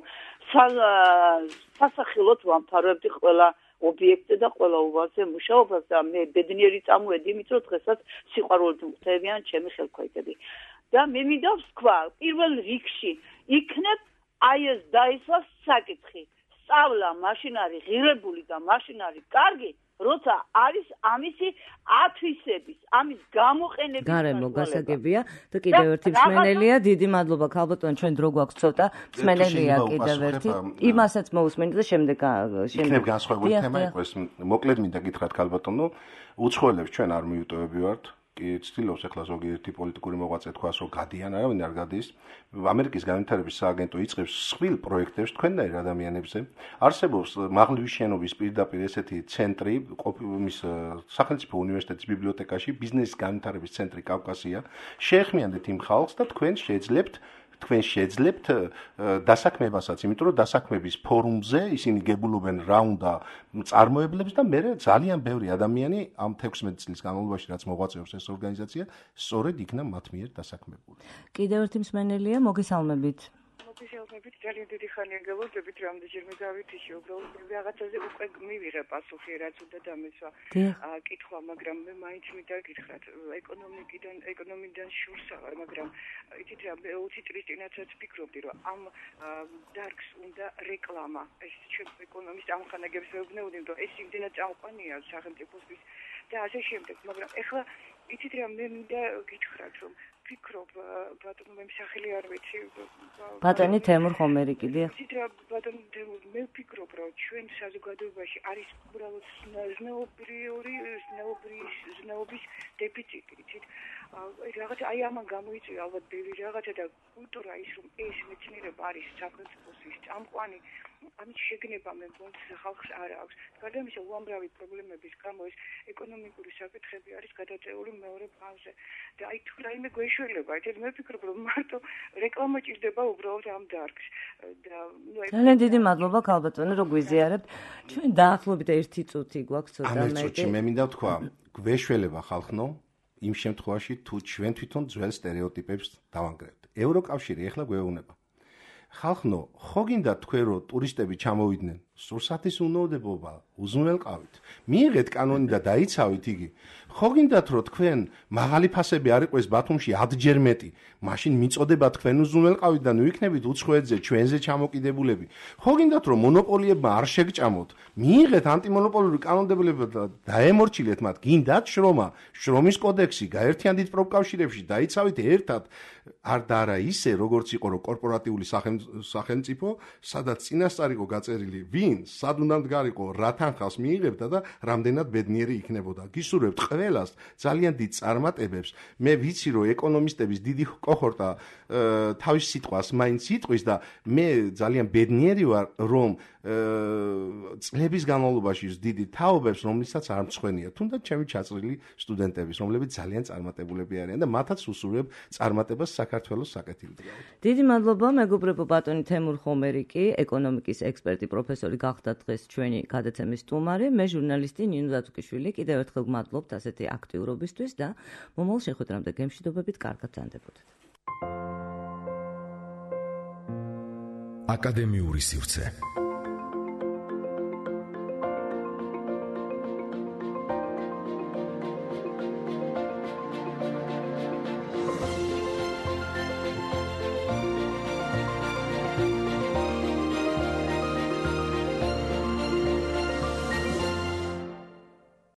Speaker 6: სასახელოდ ვამთავრებდი ყველა ობიექტზე და ყველა უვალზე მუშაობას და მე ბედნიერი წამოვედი, იმიტომ რომ დღესაც სიყვარულით მღთევიან ჩემი ხელქვეითები. და მე მინდა ვთქვა, პირველ რიგში იქნებ აი ეს დაისვას საკითხი. სწავლა მაშინ არის ღირებული და მაშინ არის კარგი. როცა არის ამისი ათვისების, ამის გამოყენების
Speaker 2: გარემო გასაგებია და კიდევ ერთი მსმენელია, დიდი მადლობა ქალბატონო, ჩვენ დრო გვაქვს ცოტა, მსმენელია კიდევ ერთი. იმასაც მოусმენთ და შემდეგ
Speaker 3: შემდეგ იქნებ განსხვავებული თემა იყოს. მოკლედ მინდა გითხრათ ქალბატონო, უცხოელებს ჩვენ არ მიუტოვები ვართ. კი ცდილობს ახლა ზოგიერთი პოლიტიკური მოღვაწე თქვას რომ გადიან, არავინ არ გადის. ამერიკის განვითარების სააგენტო იწყებს სხვილ პროექტებს თქვენნაირ ადამიანებზე. არსებობს მაღლივი შენობის პირდაპირ ესეთი ცენტრი, მის სახელმწიფო უნივერსიტეტის ბიბლიოთეკაში, ბიზნესის განვითარების ცენტრი კავკასია. შეეხმიანდეთ იმ ხალხს და თქვენ შეძლებთ თქვენ შეძლებთ დასაქმებასაც, იმიტომ რომ დასაქმების ფორუმზე ისინი გებულობენ რა უნდა წარმოებლებს და მე ძალიან ბევრი ადამიანი ამ თექვსმეტი წლის განმავლობაში რაც მოღვაწეობს ეს ორგანიზაცია, სწორედ იქნა მათ მიერ დასაქმებული.
Speaker 2: კიდევ ერთი მსმენელია, მოგესალმებით.
Speaker 4: მოგესალმებით, ძალიან დიდი ხანია გელოდებით, რამდენჯერმე გავითიშე, უბრალოდ რაღაცაზე უკვე მივიღე პასუხი, რაც უნდა დამესვა კითხვა, მაგრამ მე მაინც მინდა გითხრათ, ეკონომიკიდან, ეკონომიკიდან შურს აღარ, მაგრამ იცით რა, ოცი წლის წინაცაც ფიქრობდი, რომ ამ დარგს უნდა რეკლამა. ეს ჩვენ ეკონომისტ ამხანაგებს ვეუბნეოდი, რომ ეს იმდენად წამყვანია სახელმწიფოსთვის და ასე შემდეგ, მაგრამ ეხლა იცით რა, მე მინდა გითხრათ, რომ ფიქრობ, ბატონო, მე სახელი არ ვიცი.
Speaker 2: ბატონი თემურ ხომერიკი, დიახ.
Speaker 4: იცით რა, ბატონო, მე ვფიქრობ, რომ ჩვენ საზოგადოებაში არის უბრალოდ ზნეობრივი, ზნეობრივი, ზნეობის დეფიციტი, იცით? რაღაც აი ამან გამოიწვია ალბათ ბევრი რაღაცა და კულტურა ის რომ ეს მეცნიერება არის სახელმწიფოსთვის წამყვანი, ამით შეგნება მე მგონი ხალხს არ აქვს. გარდა ამისა, უამრავი პრობლემების გამო ეს ეკონომიკური საკითხები არის გადაწეული მეორე ფაზზე. და აი თუ რაიმე გვეშველება, ეს მე ვფიქრობ, რომ მარტო რეკლამა ჭირდება უბრალოდ ამ დარგს. და ნუ
Speaker 2: ძალიან დიდი მადლობა ქალბატონო, რომ გვიზიარებთ. ჩვენ დაახლოებით ერთი წუთი გვაქვს ცოტა
Speaker 3: მეტი. ამ ერთ წუთში მე მინდა ვთქვა, გვეშველება ხალხნო იმ შემთხვევაში თუ ჩვენ თვითონ ძველ სტერეოტიპებს დავანგრევთ. ევროკავშირი ეხლა გვეუბნება. ხალხნო, ხო გინდა თქვენ რომ ტურისტები ჩამოვიდნენ? სურსათის უნოდებობა, უზრუნველყავით. მიიღეთ კანონი და დაიცავით იგი. ხო გინდათ რომ თქვენ მაღალი ფასები არ იყვეს ბათუმში ათჯერ მეტი, მაშინ მიწოდება თქვენ უზრუნველყავით და ნუ იქნებით უცხოეთზე ჩვენზე ჩამოკიდებულები. ხო გინდათ რომ მონოპოლიებმა არ შეგჭამოთ? მიიღეთ ანტიმონოპოლიური კანონმდებლობა და დაემორჩილეთ მათ. გინდათ შრომა, შრომის კოდექსი, გაერთიანდით პროფკავშირებში, დაიცავით ერთად. არ და არა ისე როგორც იყო რომ კორპორატიული სახელმწიფო, სადაც წინასწარ იყო გაწერილი ვინ, სად უნდა მდგარიყო, რა თანხას მიიღებდა და რამდენად ბედნიერი იქნებოდა. გისურვებთ ყველას ძალიან დიდ წარმატებებს. მე ვიცი რომ ეკონომისტების დიდი კოჰორტა თავის სიტყვას მაინც იტყვის და მე ძალიან ბედნიერი ვარ რომ წლების განმავლობაში დიდი თაობებს რომლიცაც არ მწვენია, თუნდაც ჩემი ჩაწრილი სტუდენტების, რომლებიც ძალიან წარმატებულები არიან და მათაც უსურვებ წარმატებას საქართველოს საკეთილდღეოდ.
Speaker 2: დიდი მადლობა, მეგობრებო, ბატონი თემურ ხომერიკი, ეკონომიკის ექსპერტი, პროფესორი გახდა დღეს ჩვენი გადაცემის სტუმარი, მე ჟურნალისტი ნინო დათუკიშვილი, კიდევ ერთხელ გმადლობთ ასეთი აქტიურობისთვის და მომავალ შეხვედრამდე გემშვიდობებით, კარგად ზანდებოდეთ.
Speaker 1: აკადემიური სივრცე.